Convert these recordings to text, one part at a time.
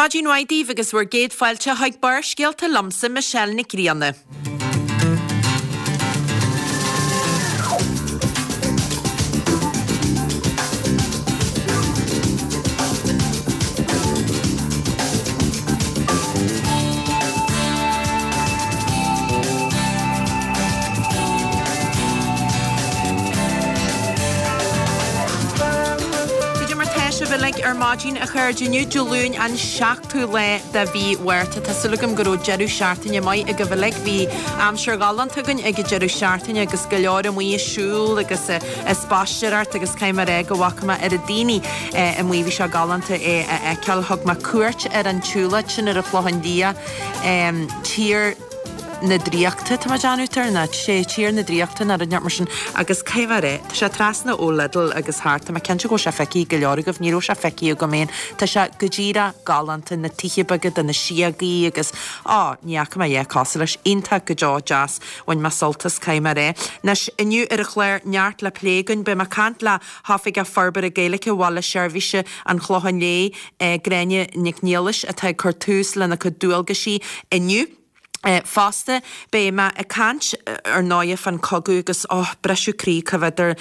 Maidin mhaith daoibh agus bhur gcéad fáilte chuig Barrscéalta liomsa, Michelle Nic Grianna. Cad é mar tá sibh uilig ar maidin, a chairde? Inniu Dé Luain an 7ú lá de mhí Mhárta. Tá súil agam go raibh deireadh seachtaine maith agaibh uilig. Bhí aimsir ghalánta againn ag an deireadh seachtaine agus go leor amuigh ag siúl agus ag spaisteoireacht agus caithfidh mé a rá go bhfaca mé oiread daoine amuigh. Bhí sé galánta é a fheiceáil. Thug mé cuairt ar an tsiúlóid sin ar an Chlochán Liath, Tír na Draíochta, tá mé ag déanamh tar ná sé Tír na Draíochta nó rud inteacht mar sin agus caithfidh mé a rá, tá sé trasna ó Lidl agus thart, tá mé cinnte go bhfuil sé feicthe ag go leor agaibh, ní raibh sé feicthe agam féin, tá sé go díreach galánta, na tithe beaga de na síogaí agus, á, ní fhaca mé a dhath cosúil leis, iontach go deo deas, bhain mé sult as, caithfidh mé a rá. Anois, inniu ar an chlár, neart le plé againn, beidh mé ag caint le hOifigeach Forbartha Gaeilge Bhaile Seirbhíse an Chlocháin Léith, Gráinne Nic Niallais, atá ag cur tús lena cuid dualgaisí inniu. Fosta, beidh mé ag caint, ar ndóighe, fán chogadh agus, oh, briseadh croí coimhéadar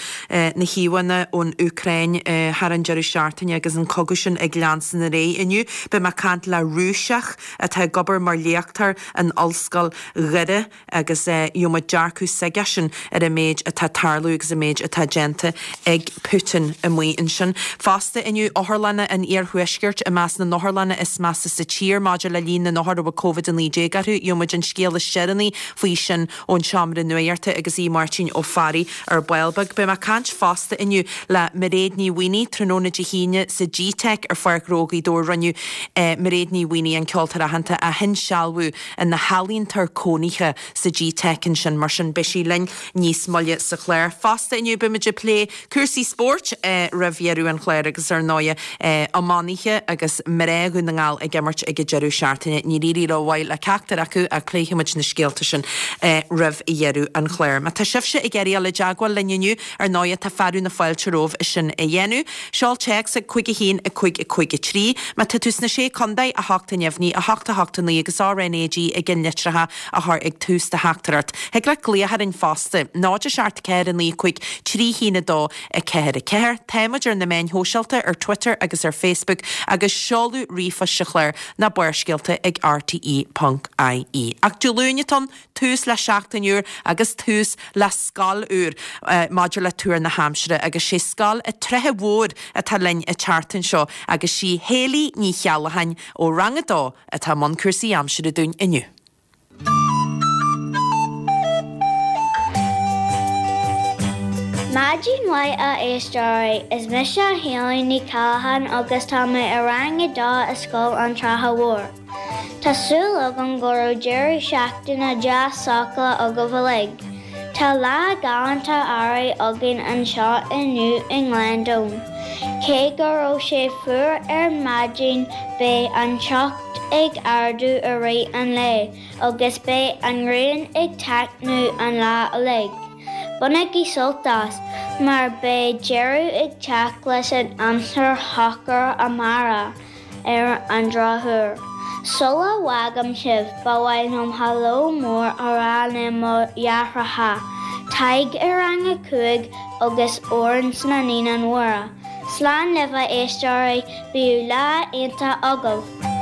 na híomhánna ón Úcráin thar an deireadh seachtaine agus an cogadh sin ag leanstan ar aghaidh. Inniu, beidh mé ag caint le Rúiseach atá ag obair mar léachtóir in Ollscoil Dhoire. agus gheobhaidh muid dearcadh s'aigesean ar an méid atá ag tarlú agus an méid atá déanta ag Putin amuigh ansin. Fosta inniu, otharlanna an iarthuaiscirt i measc na n-otharlanna is measa sa tír maidir le líon na n-othar a bhfuil Covid-19 orthu. Gheobhaidh muid an scéal is deireanaí faoi sin ón seomra nuachta agus Aodh Máirtín Ó Fearraigh ar ball beag. Beidh mé ag caint fosta inniu le Mairéad Ní Mhaonaigh tráthnóna Dé hAoine sa GTeic ar Pháirc Ghnó Ghaoth Dobhair. Rinneadh Mairéad Ní Mhaonaigh, an ceoltóir aitheanta, a hinsealbhú ina healaíontóir cónaithe sa GTeic ansin, mar sin beidh sí linn níos moille sa chlár. Fosta inniu beimid ag plé cúrsaí spóirt roimh dheireadh an chláir agus ar ndóighe iománaithe agus mná Dhún na nGall ag imirt ag an deireadh seachtaine. Níor éirigh rómhaith le ceachtar acu ach pléifidh muid na scéalta sin roimh dheireadh an chláir. Má tá sibhse ag iarraidh dul i dteagmháil linn inniu, ar ndóighe tá fearadh na fáilte romhaibh sin a dhéanamh. Seol téacs ag 5 1 5 5 3. Má tá tú sna Sé Contae, 8 neamhní, 8 8 9 agus RnaG i gceannlitreacha a chur ag tús do theachtaireacht. Thig leat glaoch orainn fosta, 0 7 4 9 5 3 1 2 4 4. Tá muid ar na meáin shóisialta, ar Twitter agus ar Facebook agus seoladh ríomhphoist sa chlár ná Barrscéalta ag rte ponc ie. Ach Dé Luain atá ann, tús le seachtain úr agus tús le scoil úr maidir le tuar na haimsire agus sé Scoil an tSratha Mhóir atá linn an tseachtain seo agus sí Hayley Ní Cheallacháin ó Rang 2 atá i mbun cúrsaí aimsire dúinn inniu. Maidin mhaith a éisteoirí, is mise Hayley Ní Cheallacháin agus tá mé i Rang 2 i Scoil an tSratha Mhóir. Tá súil agam go raibh deireadh seachtaine deas sócúil agaibh uilig. Tá lá galánta earraigh againn anseo inniu i nGleann Domhain. Cé go raibh sé fuar ar maidin beidh an teocht ag ardú i rith an lae agus beidh an ghrian ag taitneamh an lá uilig. Bainigí sult as, mar beidh deireadh ag teacht leis an aimsir shocair amárach. Ar an drochuair. Sula bhfágaim sibh, ba mhaith liom hello mór a rá le mo dheartháireacha, Tadhg i Rang 5 agus Odhrán sna Naíonáin Mhóra. Slán libh a éisteoirí, bíodh lá iontach agaibh!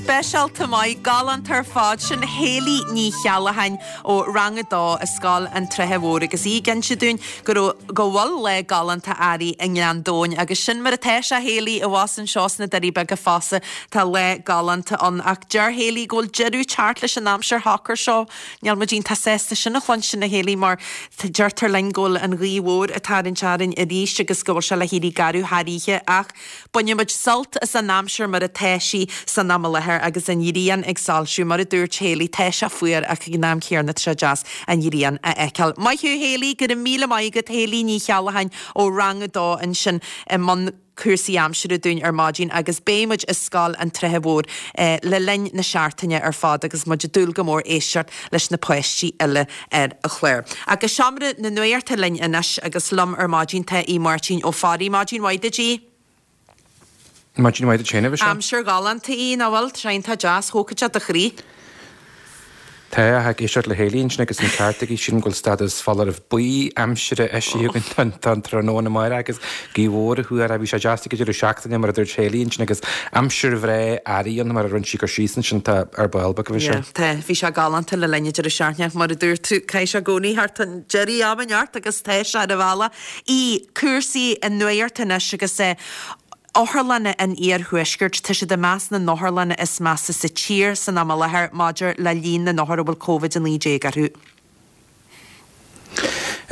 Speisialta maith, galánta ar fad. Sin Hayley Ní Cheallacháin ó Rang 2 i Scoil an tSratha Mhóir agus í ag inse dúinn go raibh, go bhfuil lá galánta earraigh i nGleann Domhain agus sin mar atá sé, a Hayley, abhus anseo sna Doirí Beaga fosta, tá lá galánta ann ach deir Hayley go bhfuil deireadh teacht leis an aimsir shocair seo. Níl muid iontach sásta sin a chluinstin, a Hayley, mar deirtear linn go bhfuil an ghaoth mhór ag tarraingt orainn arís agus go bhfuil sé le héirí garbh thar oíche ach bainfidh muid sult as an aimsir mar atá sí san am i láthair. agus an ghrian ag soilsiú. Mar a dúirt Hayley, tá sé fuar ach ag an am céanna tá sé deas an ghrian a fheiceáil. Maith thú Hayley, go raibh míle maith agat Hayley Ní Cheallacháin ó Rang 2 ansin i mbun cúrsaí aimsire dúinn ar maidin agus beidh muid i Scoil an tSratha Mhóir le linn na seachtaine ar fad agus muid ag dúil go mór éisteacht leis na páistí eile ar an chlár. Ach go seomra na nuachta linn anois agus liom ar maidin tá Aodh Máirtín Ó Fearraigh. Maidin mhaith duit Aodh. Maidin mhaith duit féin, a Mhichelle. Aimsir ghalánta í, nach bhfuil? Tá sé iontach deas, thógfadh sé do chroí. Tá, ag éisteacht le Hayley ansin agus an ceart aici, sílim go bhfuil stádas foláireamh buí aimsire eisithe againn don tráthnóna amárach agus gaoth mhór á thuar, bhí sé deas ag an deireadh seachtaine mar a dúirt Hayley ansin agus aimsir bhreá earraigh ann mar a rinne sí cur síos ansin, tá ar ball beag a bhí sé. Yeah, tá, bhí sé galánta le linn an deireadh seachtaine mar a dúirt tú, caithfidh sé i gcónaí thart an deireadh ama neart agus tá sé ar a bhealach. Aodh, cúrsaí an nuacht anois agus otharlanna an iarthuaiscirt, tá siad i measc na n-otharlanna is measa sa tír san am i láthair maidir le líon na n-othar a bhfuil Covid-19 orthu.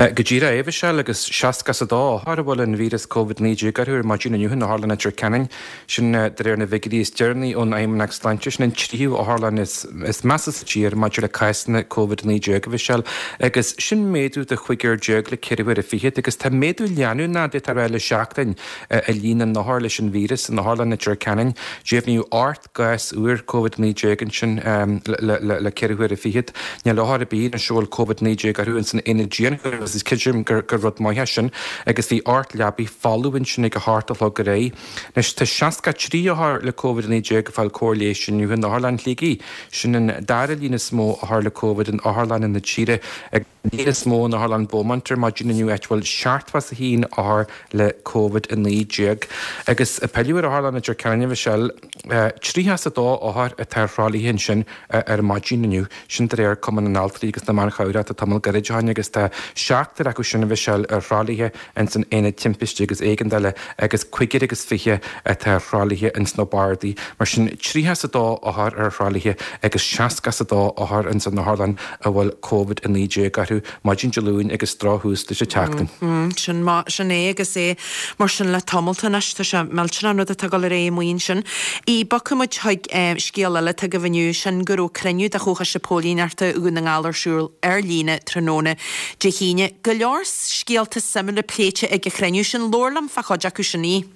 Go díreach é, a Mhichelle, agus 62 othar a bhfuil an víreas Covid-19 orthu ar maidin inniu in Otharlann Leitir Ceanainn. Sin de réir na bhfigiúirí is deireanaí ón Fheidhmeannacht Sláinte. Sin an tríú otharlann is measa sa tír maidir le cásanna Covid-19, a Mhichelle, agus sin méadú de chúigear déag le ceithre huaire fichead. Agus tá méadú leanúnach, d'fhéadfá a rá, le seachtain i líon na n-othar leis an víreas in Otharlann Leitir Ceanainn. Deimhníodh 8 gcás úr Covid-19 ansin le ceithre huaire fichead. Níl othar ar bith anois a bhfuil Covid-19 orthu ins an aonad dianchúraim agus creidim gur rud maith é sin agus bhí 8 leabaidh folamh ansin ag a hocht a chlog aréir. Anois tá 63 othar le Covid-19 ag fáil cóir leighis inniu in Otharlann Shligigh. Sin an dara líon is mó othar le Covid in otharlanna na tíre agus an líon is mó in Otharlann Beaumont ar maidin inniu áit a bhfuil 71 othar le Covid-19. Agus ag pilleadh ar Otharlann Leitir Ceanainn, a Mhichelle, 32 othar atá ar thralaithe ansin ar maidin inniu, sin de réir Cumann na nAltraí agus na mBan Chabhrach tamall gairid ó shin agus tá seachtar acu sin, a Mhichelle, ar thralaithe ins an Aonad Timpiste agus Éigeandála agus cúigear agus fiche atá ar thralaithe ins na bardaí. Mar sin, 32 othar ar thralaithe agus 62 othar ins an otharlann a bhfuil Covid-19 orthu maidin Dé Luain agus drochthús leis an tseachtain. Sin mar, sin é agus é mar sin le tamalt anois. Tá sé millteanach an rud atá ag dul ar aghaidh amuigh ansin. Aodh, bogfaidh muid chuig scéal eile atá agaibh inniu, sin go raibh cruinniú de Chomhchoiste Póilíneachta Dhún na nGall ar siúl ar líne tráthnóna Dé hAoine. Go leor scéalta suimiúla pléite ag an chruinniú sin. Labhair liom fá chuid acu sin, Aodh.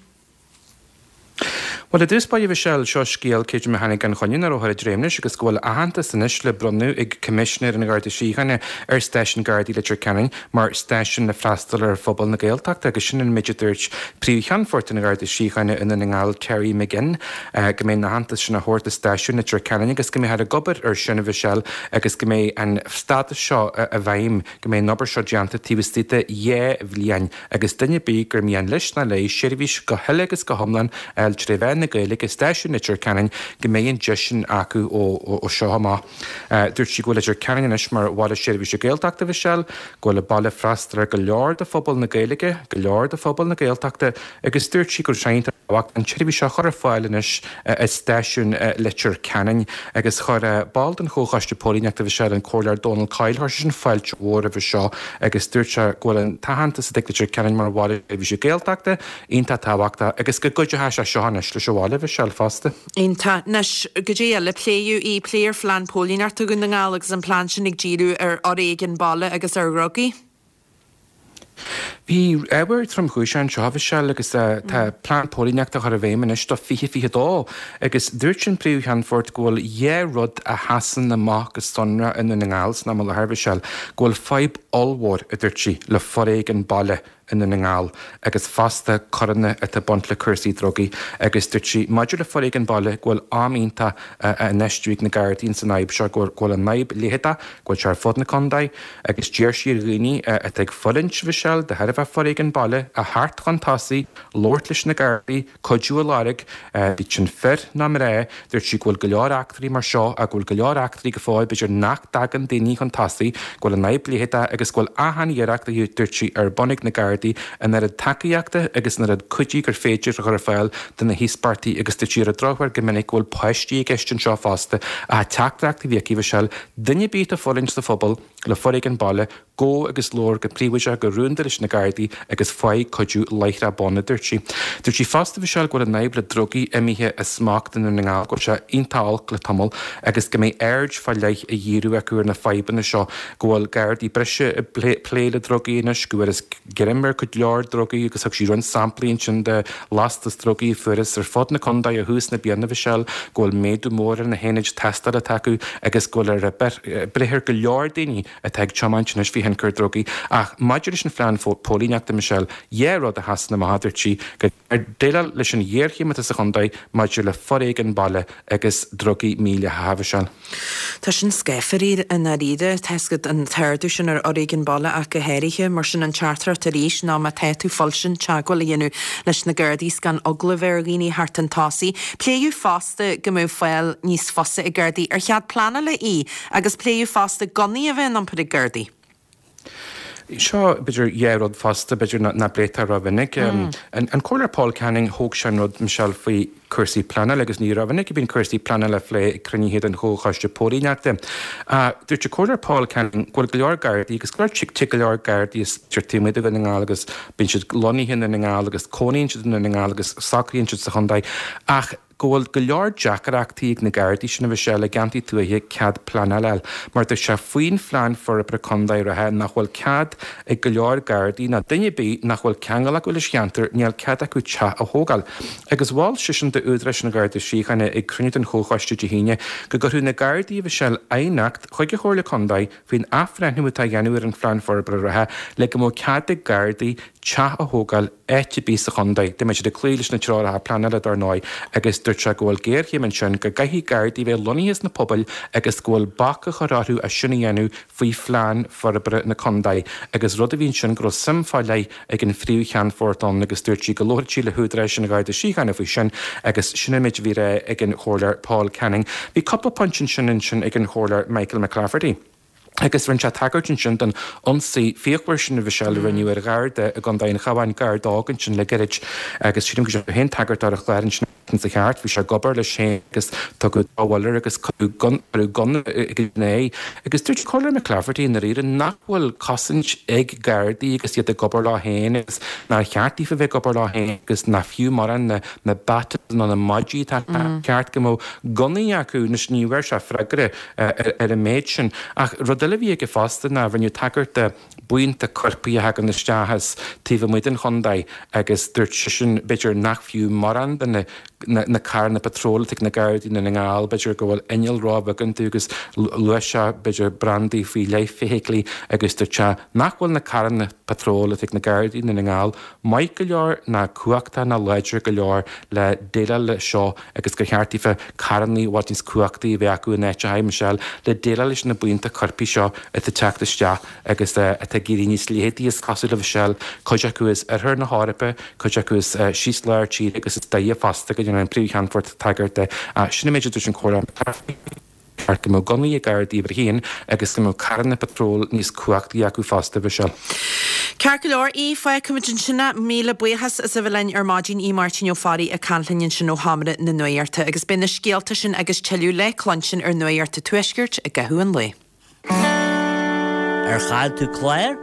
Bhuel, i dtús báire, a Mhichelle, seo scéal creidim a tháinig gan choinne nach raibh ar dréim leis agus go bhfuil aitheantas anois le bronnadh ag Coimisinéir an Gharda Síochána ar Stáisiún Gardaí Leitir Ceanainn mar stáisiún le freastal ar phobal na Gaeltachta agus sin an méid a dúirt Príomh-Cheannfort an Gharda Síochána i Ndún na nGall, Terry McGinn, go mbeidh an aitheantas sin á thabhairt do Stáisiún Leitir Ceanainn agus go mbeifear ag obair ar sin, a Mhichelle, agus go mbeidh an stádas seo i bhfeidhm, go mbeidh an obair seo déanta taobh istigh de dhá bhliain. Agus duine ar bith gur mian leis nó léi seirbhís go huile agus go hiomlán a fháil tré mheán na Gaeilge i Stáisiún Leitir Ceanainn go mbeidh an deis sin acu ó seo amach. Dúirt sí go bhfuil Leitir Ceanainn anois mar bhaile seirbhíse Gaeltachta, a Mhichelle, go bhfuil an baile ag freastal ar go leor de phobal na Gaeilge, go leor de phobal na Gaeltachta agus dúirt sí go raibh sé iontach tábhachtach an tseirbhís seo a chur ar fáil anois i Stáisiún Leitir Ceanainn agus chuir ball den Chomhchoiste Póilíneachta, a Mhichelle, an Comhairleoir Dónal Coyle, chuir seisean fáilte mhór roimhe seo agus dúirt sé go bhfuil an t-aitheantas atá ag Leitir Ceanainn mar bhaile seirbhíse Gaeltachta iontach tábhachtach agus go gcuideoidh sé seo anois leis an bhaile, a Mhichelle, fosta. Iontach. Anois, goidé eile a pléadh? Aodh, pléadh ar Phlean Póilíneachta Dhún na nGall agus an plean sin ag díriú ar fhoréigean baile agus ar dhrugaí. Bhí ábhar tromchúiseach anseo, a Mhichelle, agus tá plean póilíneachta á chur i bhfeidhm anois do 2022 agus dúirt an Príomh-Cheannfort go bhfuil dhá rud a sheasann amach go sonrach i nDún na nGall san am i láthair, a Mhichelle, go bhfuil fadhb ollmhór, a dúirt sí, le foréigean baile i nDún na nGall agus fosta coireanna atá ag baint le cúrsaí drugaí agus dúirt sí maidir le foréigean baile go bhfuil am iontach á infheistiú ag na Gardaí ins an fhadhb seo, go bhfuil an fhadhb leitheadach, go bhfuil sé ar fud na contae. Agus d'iarr sí ar dhaoine atá ag fulaingt, a Mhichelle, de thairbhe foréigean baile, a theacht chun tosaigh, labhairt leis na Gardaí, cuidiú a lorg, bíodh sin fir nó mná. Dúirt sí go bhfuil go leor eachtraí mar seo, go bhfuil go leor eachtraí go fóill, b'fhéidir nach dtagann daoine chun tosaigh, go bhfuil an fhadhb leitheadach agus go bhfuil achan iarracht, a dúirt sí, ar bun ag na Gardaí an oiread tacaíochta agus an oiread cuidí gur féidir a chur ar fáil do na híospartaigh agus dúirt sí ar an drochuair go minic go bhfuil páistí i gceist anseo fosta. Ach teachtaireacht a bhí aici, a Mhichelle, Duine ar bith atá ag fulaingt sa phobal le foréigean baile, Gabh agus labhair go príobháideach, go rúnda leis na Gardaí agus faigh cuidiú láithreach bonn, a dúirt sí. Dúirt sí fosta, Michelle, go bhfuil an fhadhb le drugaí imithe as smacht i nDún na nGall, go bhfuil sé iontach olc le tamall agus go mbeidh aird fá leith á dhíriú acu ar na fadhbanna seo, go bhfuil Gardaí breise ag plé le drugaí anois, go bhfuarthas greim ar cuid leor drugaí agus thug sí roinnt samplaí ansin de lastas drugaí a fuarthas ar fud na contae ó thús na bliana, Michelle, go bhfuil méadú mór ar na haonaid tástála atá acu agus go bhfuil ar breith ar go leor daoine atá ag tiomáint anois faoi thionchar drugaí. Ach maidir leis an phlean póilíneachta, Michelle, dhá rud a sheasann amach, a dúirt sí, go gcaithfear déileáil leis an ghéarchéim atá sa chontae maidir le foréigean baile agus drugaí mídhleathacha, Michelle. Tá sin scáfar i ndáiríre, tá 'fhios agat, an t-ardú sin ar fhoréigean baile ach go háirithe. Mar sin an teachtaireacht arís ná má tá tú fuilsin, teagmháil a dhéanamh leis na Gardaí 's gan eagla a bheith ar dhaoine theacht chun tosaigh. Pléadh fosta go mbeadh fáil níos fusa ag Gardaí ar chead pleanála í. Agus pléadh fosta gunnaí a bheith in iompar ag Gardaí. Seo, b'fhéidir, dhá rud fosta, b'fhéidir, nach bpléitear rómhinic. An Comhairleoir Paul Canning, thóg sé an rud, Michelle, faoi cúrsaí pleanála agus ní rómhinic a bhíonn cúrsaí pleanála á phlé ag cruinnithe den Chomhchoiste Póilíneachta. Dúirt an Comhairleoir Paul Canning go bhfuil go leor Gardaí agus go leor, tig go leor Gardaí as taobh amuigh de Dhún na nGall agus bíonn siad lonnaithe i nDún na nGall agus cónaíonn siad i nDún na Ngall agus socraíonn siad sa chontae ach go bhfuil go leor deacrachtaí ag na Gardaí sin a Mhichelle i gceantair tuaithe cead pleanála a fháil mar dúirt sé faoin phlean forbartha contae reatha nach bhfuil cead ag go leor Gardaí ná duine ar bith nach bhfuil ceangal acu leis an cheantar níl cead acu teach a thógáil. Agus mhol seisean d'údaráis an Gharda Síochána ag cruinniú den Chomhchoiste Dé hAoine go gcuirfeadh na Gardaí a Mhichelle aighneacht chuig an Chomhairle Contae faoin athbhreithniú atá á dhéanamh ar an phlean forbartha reatha le go mbeadh cead ag Gardaí teach a thógáil áit ar bith sa chontae. Dá mbeadh siad ag cloí leis na treoracha pleanála dar ndóigh agus dúirt sé go bhfuil géarchéim ansin, go gcaithfidh Gardaí bheith lonnaithe sna pobail agus go bhfuil bac á chur orthu as sin a dhéanamh faoi phlean forbartha na contae agus rud a bhí ansin go raibh suim fá leith ag an Phríomh-Cheannfort ann agus dúirt sí go labharfadh sí le húdaráis an Gharda Síochána faoi sin agus sin an méid a bhí le rá ag an Chomhairleoir Paul Canning. Bhí cúpla pointe ansin ansin ag an Chomhairleoir Michael McClafferty. Agus rinne sé tagairt ansin don ionsaí fíochmhar sin a Mhichelle a rinneadh ar Gharda i gContae an Chabháin, Garda óg ansin le gairid agus sílim go raibh tú féin ag tagairt dó ar an chlár ansin sa cheart, bhí sé ag obair leis féin agus tugadh drochbhuille air agus cuireadh gunna ina aghaidh. Agus dúirt Comhairleoir McClafferty i ndáiríre nach bhfuil cosaint ag Gardaí agus iad ag obair leo féin agus nár cheart daofa bheith ag obair leo féin agus nach fiú mórán na na batons nó na maidí atá ceart go mbeadh gunnaí acu. Anois ní bhfuair sé freagra ar an méid sin. Ach rud eile a bhí aige fosta ná rinneadh tagairt do buíonta coirpigh a thagann isteach as taobh amuigh den chontae agus dúirt seisean b'fhéidir nach fiú mórán de na na carranna patróil atá ag na Gardaí i nDún na nGall, b'fhéidir go bhfuil inneall róbheag iontu agus luaigh sé b'fhéidir brandaí faoi leith feithiclí agus dúirt sé nach bhfuil na carranna patróil atá ag na Gardaí i Ndún na nGall maith go leor ná cumhachtach ná láidir go leor le déileáil leis seo agus gur cheart daofa carrannaí i bhfad níos cumhachtaí a bheith acu in áiteacha, Michelle, le déileáil leis na buíonta coirpigh seo atá ag teacht isteach agus atá ag éirí níos leitheadaí is cosúil a Mhichelle, cuid acu as oirthear na hEorpa, cuid acu as síos lár tíre agus is dóigh fosta go ndéanann an Príomh-Cheannfort tagairt de. Sin an méid a dúirt an Comhairleoir. Ceart go mbeadh gunnaí ag Gardaí uimhir a haon agus go mbeadh carranna patróil níos cumhachtaí acu fosta, Mhichelle. Ceart go leor, Aodh, fágfaimid ansin é. Míle buíochas as a bheith linn ar maidin, Aodh Máirtín Ó Fearraigh ag caint linn ansin ó Sheomra na Nuachta. Agus beidh na scéalta sin agus tuilleadh le cluinstin ar Nuacht an Tuaiscirt i gcaitheamh an lae. Ar chaill tú clár?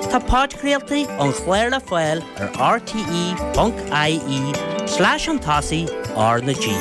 Tá podchraoltaí an chláir le fáil ar rte.ie slash chun tosaigh R na G.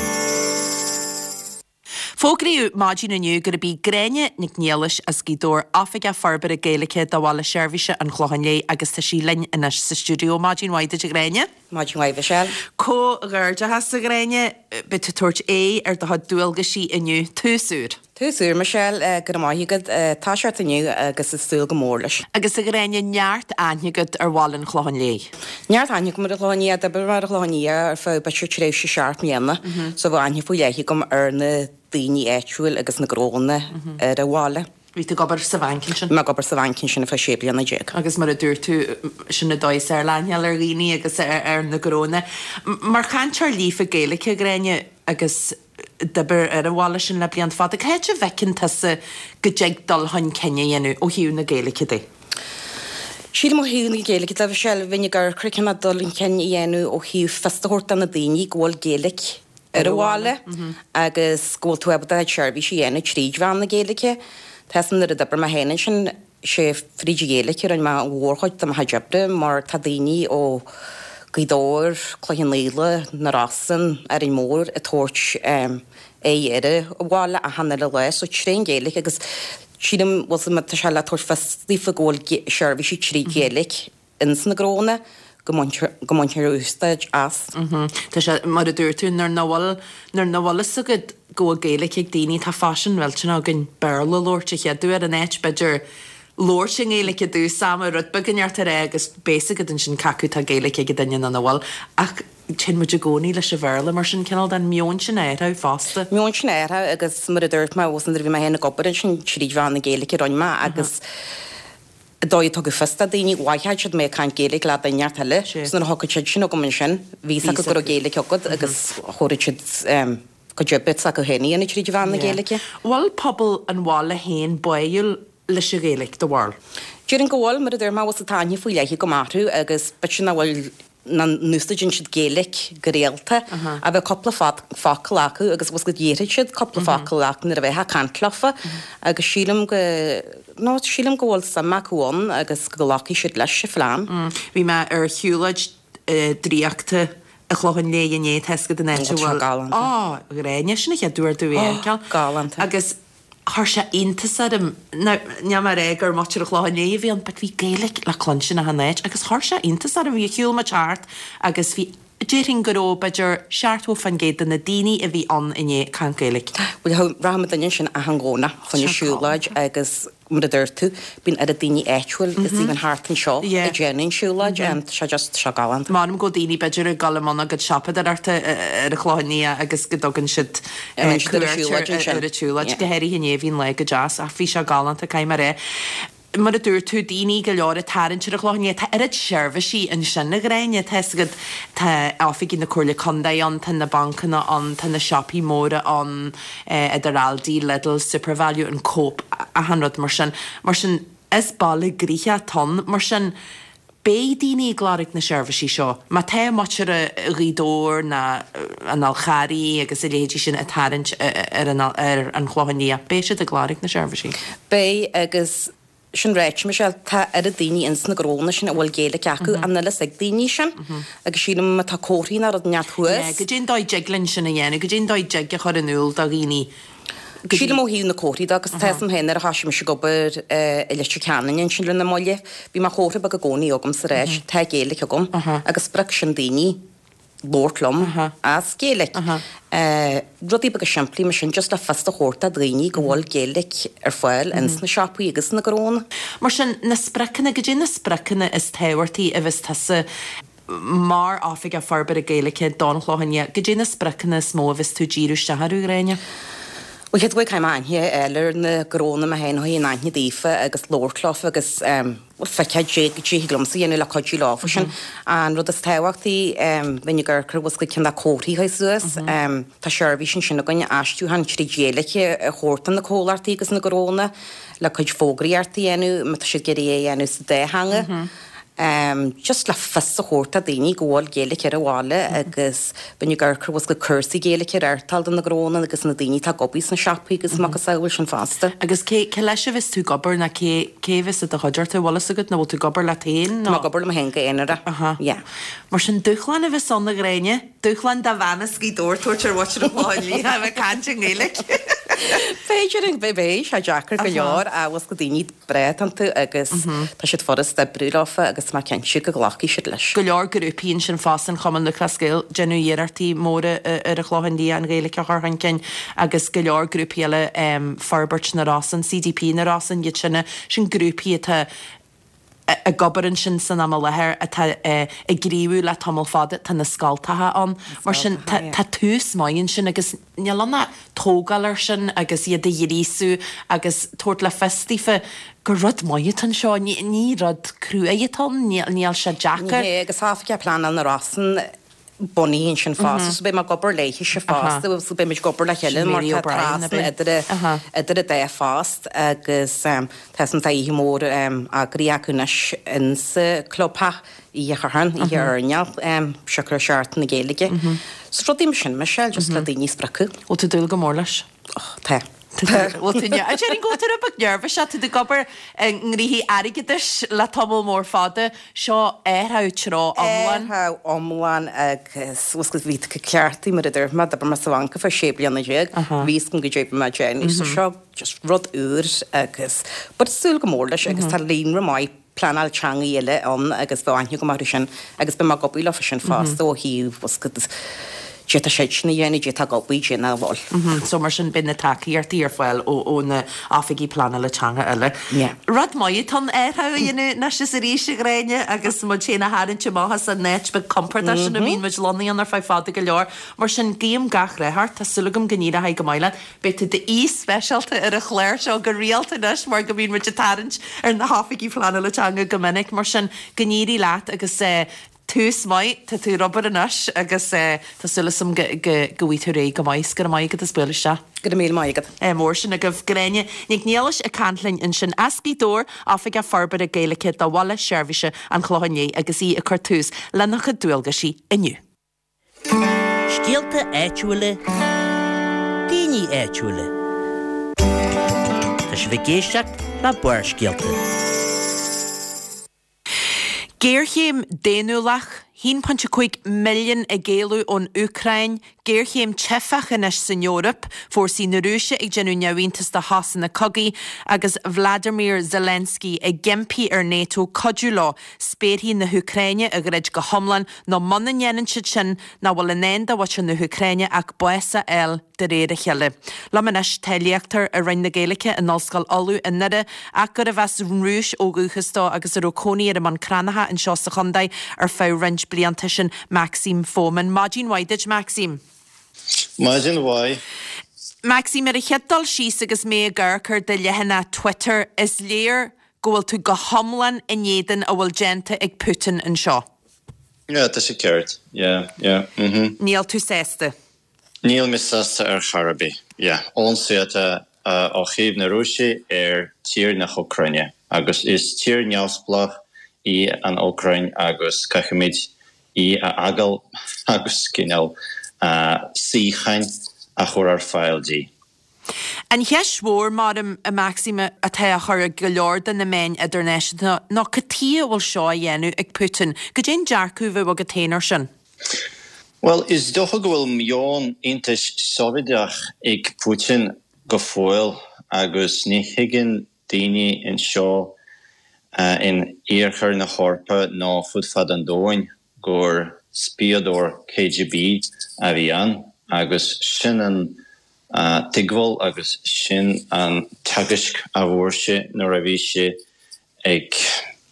Fógraíodh maidin inniu gurb í Gráinne Nic Niallais as Gaoth Dobhair Oifigeach Forbartha Gaeilge do Bhaile Seirbhíse an Chlocháin Léith agus tá sí linn anois sa stiúideo. Maidin mhaith duit a Ghráinne. Maidin mhaith Mhichelle. Comhghairdeachas a Ghráinne, beidh tú ag tabhairt aghaidh ar do chuid dualgaisí inniu. Tús úr. Tús úr, Michelle. Go raibh maith agat. Toiseacht inniu agus ag súil go mór leis. Agus a Ghráinne, neart aithne agat ar bhaile an Chlocháin Léith. Neart aithne agam ar an Chlochán Liath. D'oibrigh mé ar an Chlochán Liath ar feadh b'fhéidir tréimhse seacht mbliana so bheadh aithne faoi leith agam ar na daoine áitiúil agus na gnónna ar an bhaile. Bhí tú ag obair sa bhanc ansin? Bhí mé ag obair sa bhanc ansin ar feadh 16 bliana. Agus mar a dúirt tú, sin an dóigh is fearr le aithne a fháil ar dhaoine agus ar na gnónna. Mar chainteoir líofa Gaeilge, a Ghráinne, agus d'oibir ar an bhaile sin le blianta fada. Cá háit a bhfeiceann tusa go dtig dul chun cinn a dhéanamh ó thaobh na Gaeilge de? Sílim ó thaobh na Gaeilge de, Michelle, bheinn ag amharc ar cineál dul chun cinn a dhéanamh ó thaobh fios a thabhairt do na daoine go bhfuil Gaeilge ar an bhaile agus go bhfuil tú ábalta do chuid seirbhísí a dhéanamh tríd mheán na Gaeilge. Tá 'fhios a'm nuair a d'oibir mé féin ansin. Sé fríd an Ghaeilge a rinne mé an mhórchuid de mo chuid oibre mar tá daoine ó Gaoth Dobhair, Cloich Cheann Fhaola, Na Rosann, Árainn Mhór ag tabhairt aghaidh ar an bhaile achan uile lá so trén Ghaeilge agus sílim bhfuil 's a'm tá sé le tabhairt fios daofa go bhfuil seirbhísí trí Ghaeilge ins na gnónna go mbaintear úsáid as. Tá sé, mar a dúirt tú, nuair nach bhfuil, nuair nach bhfuil fhios agat go bhfuil Gaeilge ag daoine, tá faisean millteanach againn Béarla a labhairt a chéaduair in áit, b'fhéidir, labhairt i nGaeilge i dtús ama, rud beag inteacht a rá agus beidh 's agat ansin cé acu tá Gaeilge ag an duine nó nach bhfuil. Ach téann muid i gcónaí leis an Bhéarla, mar sin, cineál den meon sin a athrú fosta. Meon sin a athrú agus mar a dúirt mé, nuair a bhí mé féin ag obair ansin tríd mheán na Gaeilge a rinne mé agus, an dóigh a tugadh fios do daoine, mhothódh siad mé ag caint Gaeilge le duine inteacht eile, so nuair a thiocfadh siad sin chugam ansin, bhí 's acu go raibh Gaeilge agat agus thabharfadh siad cuid oibre s'acu féin a dhéanamh tríd mheán na Gaeilge. Bhfuil pobal an bhaile féin báúil leis an Ghaeilge, do bharúil? Déarfainn go bhfuil, mar a dúirt mé, bhfuil 's tá aithne faoi leith agam orthu agus b'fhéidir nach bhfuil nach n-úsáideann siad Gaeilge go rialta, ach bheadh cúpla focal acu agus bhfuil 's agat déarfadh siad cúpla focal leat nuair a bheifeá ag caint leofa agus sílim go, no, sílim go bhfuil suim acu ann agus go nglacfaidh siad leis an phlean. Bhí mé ar shiúlóid draíochta i Clochán Léith inné, tá 'fhios agat an áit a bhfuil. Galánta. Á, Gráinne, sin an chéad uair domh é a fheiceáil. Galánta. Agus chuir sé iontas orm, now níl mé ag rá gur muintir an Chlocháin Léith a bhí ann but bhí Gaeilge le cluinstin achan áit agus chuir sé iontas orm, bhí shiúil muid thart agus bhí, déarfainn go raibh b'fhéidir 70% de na daoine a bhí ann inné ag caint Gaeilge. Bhuel rachaidh muid ansin achan Dhomhnach chun na siúlóid agus mar a dúirt tú, bíonn oiread daoine áitiúil is even thart anseo ag déanamh an siúlóid, tá sé just, tá sé galánta. M'anam go bhfuil daoine b'fhéidir ag dul i mbun a gcuid siopadóireachta ar an Chlochán Liath agus go dtugann siad cuairt ar an tsiúlóid, go háirithe inné bhí an lá go deas ach bhí sé galánta, caithfidh mé a rá. Mar a dúirt tú, daoine go leor ag tarraingt ar an Chlochán Liath, tá oiread seirbhísí ansin a Ghráinne, tá 'fhios agat, tá oifigí na Comhairle Contae ann, tá na bancanna ann, tá na siopaí móra ann, idir Aldi, Lidl, Supervalu, an Coop, achan rud mar sin. Mar sin, is baile gnoitheach atá ann. Mar sin, beidh daoine ag lorg na seirbhísí seo. Má tá muintir Ghaoth Dobhair ná an Fhál Charraigh agus a leithéidí sin ag tarraingt ar an ar an Chlochán Liath, beidh siad ag lorg na seirbhísí. Beidh, agus Sin ráite, Michelle, tá oiread daoine ins na gnónna sin a bhfuil Gaeilge acu, an bhfuil fhios ag daoine sin? Agus sílim má tá comharthaí ná rud inteacht thuas. Yeah, goidé an dóigh dtig linn sin a dhéanamh, goidé an dóigh dtig a chur in iúl do dhaoine go dtí. Sílim ó thaobh na comharthaí de, agus tá fhios a'm féin nuair a thoisigh mise ag obair i Leitir Ceanainn ansin lena mbaile, bhí mo chomhartha beag i gcónaí agam sa ráis, tá Gaeilge agam, agus spreag sin daoine. labhairt liom as Gaeilge. Rudaí beaga simplí mar sin, just le fios a thabhairt do dhaoine go bhfuil Gaeilge ar fáil ins na siopaí agus sna gnónna. Mar sin, na spriocanna, goidé na spriocanna is tábhachtaí a bheas tusa mar Oifigeach Forbartha Gaeilge don Chlochán Liath, goidé na spriocanna is mó a bheas tú ag díriú isteach orthu, a Ghráinne? Bhuel, chéad rud, caithfidh mé aithne a fháil ar na gnónna mé féin, chun aithne daofa agus labhairt leofa agus bhuel feiceáil goidé thig liomsa a dhéanamh le cuidiú leofa sin. An rud is tábhachtaí, bheinn ag amharc ar bhfuil 's agat cineál comharthaí a chur suas. Tá seirbhís ansin againn, aistriúchán tríd Ghaeilge a thabhairt do na comhlachtaí agus na gnónna le cuid fógraíochta a dhéanamh má tá siad ag iarraidh é a dhéanamh sa dá theanga. Just le fios a thabhairt do daoine go bhfuil Gaeilge ar an bhaile agus bheinn ag amharc ar bhfuil 's agat cúrsaí Gaeilge a reáchtáil do na gnónna agus na daoine atá ag obair sna siopaí agus macasamhail sin fosta. Agus cé, cé leis a bheas tú ag obair nó cé, cé a bheas i do chuideachta, bhfuil fhios agat nó bhfuil tú ag obair leat féin nó? Tá mé ag obair liom féin go haonarach, Aha. yeah. Mar sin dúshlán a bheas ann a Ghráinne, dúshlán do bhean as Gaoth Dobhair tabhairt ar mhuintir an Chlocháin Liath a bheith ag caint i nGaeilge. B'fhéidir, beidh sé deacair go leor ach bhfuil 's agat daoine breá atá iontu agus tá siad furast oibriú leofa agus tá mé cinnte go nglacfaidh siad leis. Go leor grúpaí ansin fosta, an Chumann Lúthchleas Gael, déanamh iarrachtaí móra ar an Chlochán Liath an Ghaeilge a chur chun cinn agus go leor grúpaí eile, Forbairt na Rosann, CDP na Rosann, iad sin, sin grúpaí atá ag obair ansin san am i láthair, atá ag gníomhú le tamall fada, tá na scoltacha ann. Mar sin tá tús maith ansin agus níl ann ach tógáil air sin agus iad a ghríosú agus tabhairt le fios daofa gur rud maith atá anseo. Ní rud cruaidh atá ann, níl sé deacair. Ní hea, agus tá Oifigeach Pleanála na Rosann bunaithe ansin fosta, so beidh mé ag obair léithise fosta, so beidh muid ag obair le chéile mar tá trasna idir idir an dá phost agus tá tá oíche mhór eagraithe acu anois insa clubtheach. Oíche Shathairn, oíche airneáil, siocair Seachtain na Gaeilge. So rudaí mar sin, Michelle, just le daoine a spreagadh. Bhfuil tú ag dúil go mór leis? Oh, tá. Bhfuil tú, déarfainn go bhfuil tú rud beag neirbhíseach, tá tú ag obair i ngnóthaí airgeadais le tamall mór fada, seo athrú treo iomlán. Athrú iomlán agus bhfuil 's agat bhí tú cleachtaithe mar a dúirt mé, d'oibir mé sa bhanc ar feadh 16 bliana, bhí 'fhios agam goidé bhí mé ag déanamh so seo just rud úr agus but súil go mór leis agus tá líonra maith pleanáil teangaí eile ann agus bheadh aithne agam orthu sin agus beidh mé ag obair leofa sin fosta ó thaobh bhfuil 's agat goidé tá siadsan a dhéanamh, goidé tá ag obair, goidé nach bhfuil. So mar sin beidh na tacaíochtaí ar fáil ó na oifigigh pleanála teanga eile. Yeah. Rud maith atá ann athrú a dhéanamh anois is arís a Ghráinne agus muid féin a tharraingt amach as an áit beag compordach sin a mbíonn muid lonnaithe ann ar feadh fada go leor. Mar sin guím gach rath ort, tá súil agam go n-éireoidh go maith leat. Beidh tú d'aoi speisialta ar an chlár seo go rialta anois mar go mbíonn muid ag tarraingt ar na hoifigigh pleanála teanga go minic. Mar sin, go n-éirí leat agus tús maith, tá tú ar obair anois agus tá súil agam go bhfaighidh tú ar aghaidh go maith. Go raibh maith agat as bualadh isteach. Go raibh míle maith agat. Mór sin agaibh. Gráinne Nic Niallais ag caint linn ansin as Gaoth Dobhair, Oifigeach Forbartha Gaeilge do Bhaile Seirbhíse an Chlocháin Léith agus í ag cur tús lena cuid dualgaisí inniu. Scéalta áitiúla, daoine áitiúla. Tá sibh ag éisteacht le Barrscéalta. Géarchéim daonnúlach, 1.5 milliún ag éalú ón Úcráin, géarchéim teifeach anois san Eoraip, fórsaí na Rúise ag déanamh neamhiontas de shosanna cogaidh agus Vladimir Zelensky ag impí ar Nato cuidiú leo spéarthaí na hÚcráine a dhruid go hiomlán nó muna ndéanann siad sin nach bhfuil i ndán do mhuintir na hÚcráine ach bás a fháil de réir a chéile. Liom anois tá léachtóir i Roinn na Gaeilge in Ollscoil Uladh i nDoire ach gurbh as an Rúis ó dhúchas dó agus a raibh cónaí air i mBun Cranncha anseo sa chontae ar feadh roinnt blianta, sin Maxim Fomin. Maidin mhaith duit, Maxim. Maidin mhaith. Maxim, ar an chéad dul síos agus mé ag amharc ar do leathanach Twitter, is léir go bhfuil tú go hiomlán in éadan a bhfuil déanta ag Putin anseo. Yeah, tá sé ceart. Yeah, yeah, mhm. Níl tú sásta? Níl mé sásta ar chor ar bith. Yeah, ionsaí atá ó thaobh na Rúise ar tír na hÚcráine agus is tír neamhspleách í an Úcráin agus caithfimid í a fhágáil agus cineál síocháin a chur ar fáil di. An cheist mhór, maram, a Maxim, atá á chur ag go leor de na meáin idirnáisiúnta ná cad tuighe a bhfuil seo á dhéanamh ag Putin? Cad é an dearcadh a bheadh agat féin air sin? Bhuel, is dócha go bhfuil meon Aontais Sóivéadach ag Putin go fóill agus ní thuigeann daoine anseo in iarthar na hEorpa nó fud fad an domhain gur spiadóir KGB a bhí ann agus sin an tuigbheáil agus sin an teagasc a bhfuair sé nuair a bhí sé ag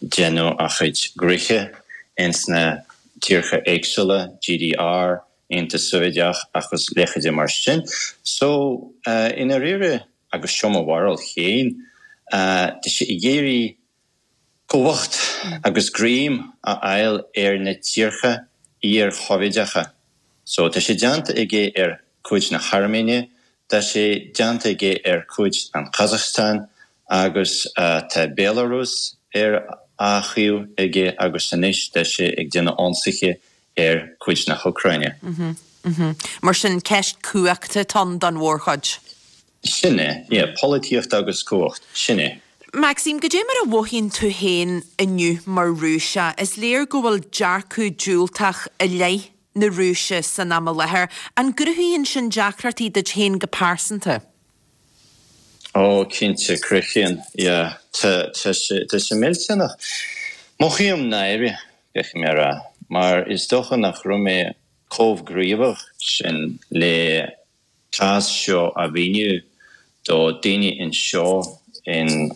déanamh a chuid gnoithe ins na tíortha éagsúla, GDR, Aontas Sóivéadach agus leithéidí mar sin. So, i ndáiríre, agus seo mo bharúil féin, tá sé ag iarraidh cumhacht agus greim a fháil ar na tíortha iar-Shóivéadacha. So, tá sé déanta aige ar cuid na hAirméine, tá sé déanta aige ar cuid an Kazakhstan agus tá Belarus ar a thaobh aige agus anois tá sé ag déanamh ionsaithe ar cuid na hÚcráine. Mar sin, ceist cumhachta atá ann don mhórchuid. Sin é, yeah, polaitíocht agus cumhacht, sin é. Maxim, goidé mar a mhothaíonn tú féin inniu mar Rúiseach? Is léir go bhfuil dearcadh diúltach i leith na Rúise san am i láthair. An gcruthaíonn sin deacrachtaí duit féin go pearsanta? Ó, cinnte, cruthaíonn, yeah. Tá, tá sé, tá sé millteanach. Mothaím náire, caithfidh mé a rá, mar is dócha nach raibh mé chomh gníomhach sin le cás seo a mhíniú do daoine anseo in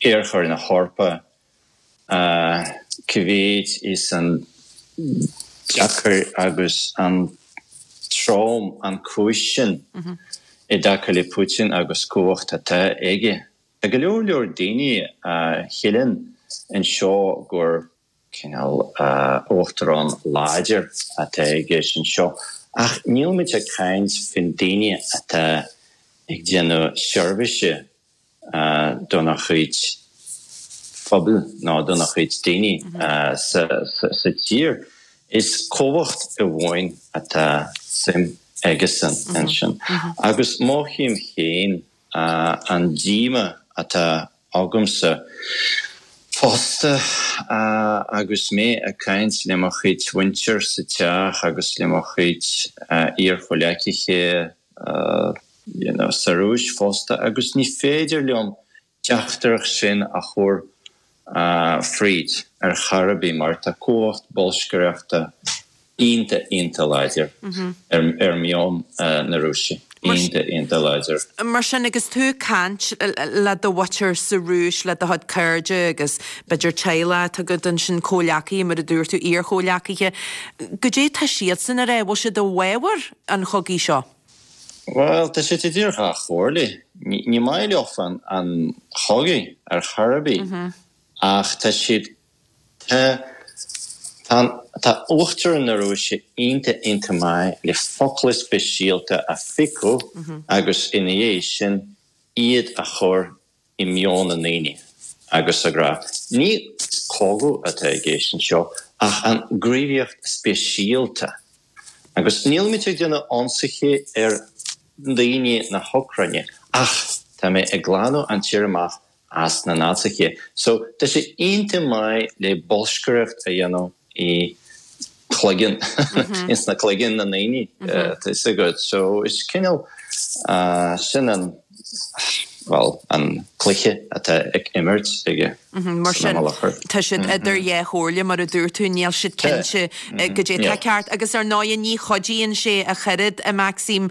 iarthar na hEorpa cá mhéid is an deacair agus an trom an cúis sin i dtaca le Putin agus cumhacht atá aige. Tá go leor leor daoine a shíleann anseo gur cineál uachtarán láidir atá i gceist anseo ach níl muid ag caint faoin daoine atá ag déanamh seirbhíse dona chuid phobail nó dona chuid daoine sa tír. Is cumhacht amháin atá suim aigesan ansin agus mothaím féin. an díomá atá agamsa fosta agus mé ag caint le mo chuid mhuintir sa teach agus le mo chuid iar-chomhleacaithe you know sa Rúis fosta agus ní féidir liom teachtaireacht sin a chur fríd ar chor ar bith mar tá cumhacht bolscaireachta iontach iontach láidir ar meon na Rúise. Iontach iontach láidir. Mar sin, agus tú ag caint le do mhuintir sa Rúis, le do chuid cairde agus b'fhéidir teaghlach atá agat ansin, comhleacaithe mar a dúirt tú, iar-chomhleacaithe, goidé tá siadsan a rá? Bhfuil siad i bhfabhar an chogaidh seo? Bhuel, tá siad idir dhá chomhairle. Ní maith leofa an chogaidh ar chor ar bith ach tá siad, tá, tá, tá Uachtarán na Rúise iontach, iontach maith le focla speisialta a phiocadh agus ina dhiaidh sin iad a chur i meon na ndaoine agus ag rá, ní cogadh atá i gceist anseo ach an gníomhaíocht speisialta agus nílimid ag déanamh ionsaithe ar dhaoine na hÚcráine ach tá mé ag glanadh an tír amach as na Naitsithe. So tá sé iontach maith le bolscaireacht a dhéanamh i cloigeann, ins na cloigeann na ndaoine, tá fhios agat. So is cineál, sin an, bhuel, an cluiche atá ag imirt aige Mar sin, tá siad idir dhá chomhairle, mar a dúirt tú, níl siad cinnte goidé atá ceart. Agus ar ndóighe, ní chuidíonn sé ach oiread, a Maxim,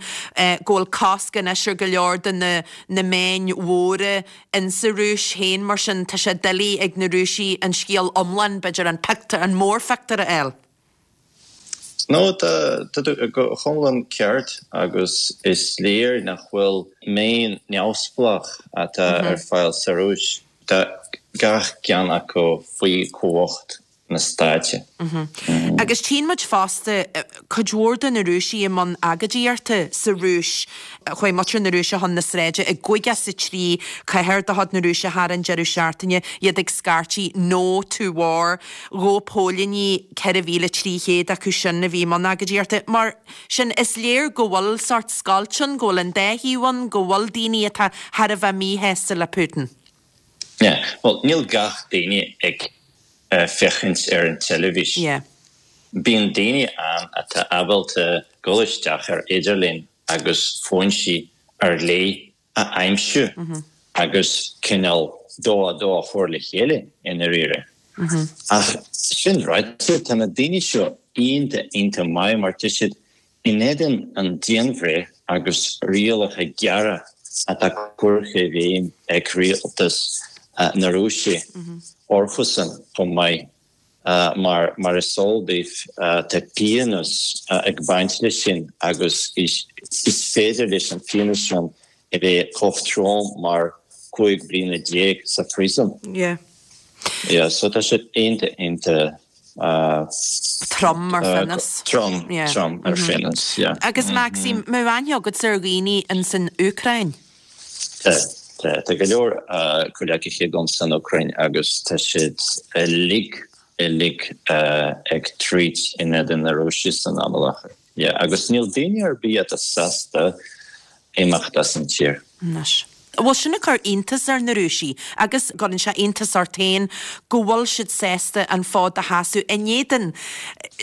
go bhfuil cosc anois ar go leor de na na meáin mhóra insa Rúis féin, mar sin tá sé doiligh ag na Rúisigh an scéal iomlán, b'fhéidir an pictiúr, an mórphictiúr a fháil. No, tá tú go hiomlán ceart agus is léir nach bhfuil meáin neamhspleách atá ar fáil sa Rúis. Tá gach ceann acu faoi chumhacht na stáite. Agus tchíonn muid fosta cuid mhór de na Rúisigh i mbun agóidíochta sa Rúis. Chuaigh muintir na Rúise chun na sráide i gcaoga is a trí cathair de chuid na Rúise thar an deireadh seachtaine, iad ag scairtigh 'No to War'. Ghabh póilíní 4,300 acu sin a bhí i mbun agóidíochta. Mar sin, is léir go bhfuil sórt scoilt ann, go bhfuil an dá thaobh ann, go bhfuil daoine atá thar a bheith míshásta le Putin. Yeah, bhuel, níl gach daoine ag féachaint ar an teilifís. Yeah. Bíonn daoine ann atá ábalta dul isteach ar idirlíon agus foinsí ar leith a aimsiú agus cineál dó a dó a chur le chéile i ndáiríre. Ach sin ráite, tá na daoine seo iontach, iontach maith mar tá siad In éadan an dianbhreith agus rialacha géara atá curtha i bhfeidhm ag rialtas na Rúise orthusan chomh maith, mar mar is eol daoibh tá pionós ag baint leis sin agus is féidir leis an phionós sin a bheith chomh trom mar 15 bliana sa phríosún. Yeah. Yeah, so tá siad iontach iontach Trom ar phionós. Trom, trom ar phionós, yeah. Agus Maxim, an bhfuil aithne agatsa ar dhaoine ins an Úcráin? Tá, tá. Tá go leor comhleacaithe agam san Úcráin agus tá siad uilig, uilig ag troid in éadan na Rúise san am i láthair. Yeah, agus níl daoine ar bith atá sásta imeacht as an tír. Anois. Bhuel, sin ag cur iontas ar na Rúisigh, agus cuireann sé iontas ort féin go bhfuil siad sásta an fód a sheasamh in éadan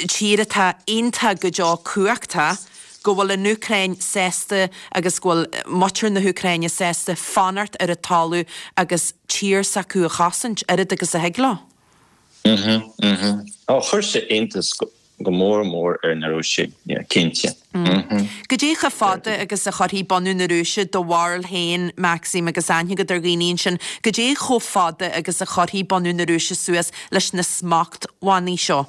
tír atá iontach go deo cumhachtach, go bhfuil an Úcráin sásta agus go bhfuil muintir na hÚcráine sásta fanacht ar an talamh agus tír s'acu a chosaint, oiread agus a thig leo. Mhm, mhm. Ó, chuir sé iontas go mór mór ar na Rúisigh, yeah, cinnte. Mhm. Goidé chomh fada agus a chuirfidh bunadh na Rúise, do bharúil féin, Maxim, agus aithne agat ar dhaoine ansin, goidé chomh fada agus a chuirfidh bunadh na Rúise suas leis na smachtbhannaí seo?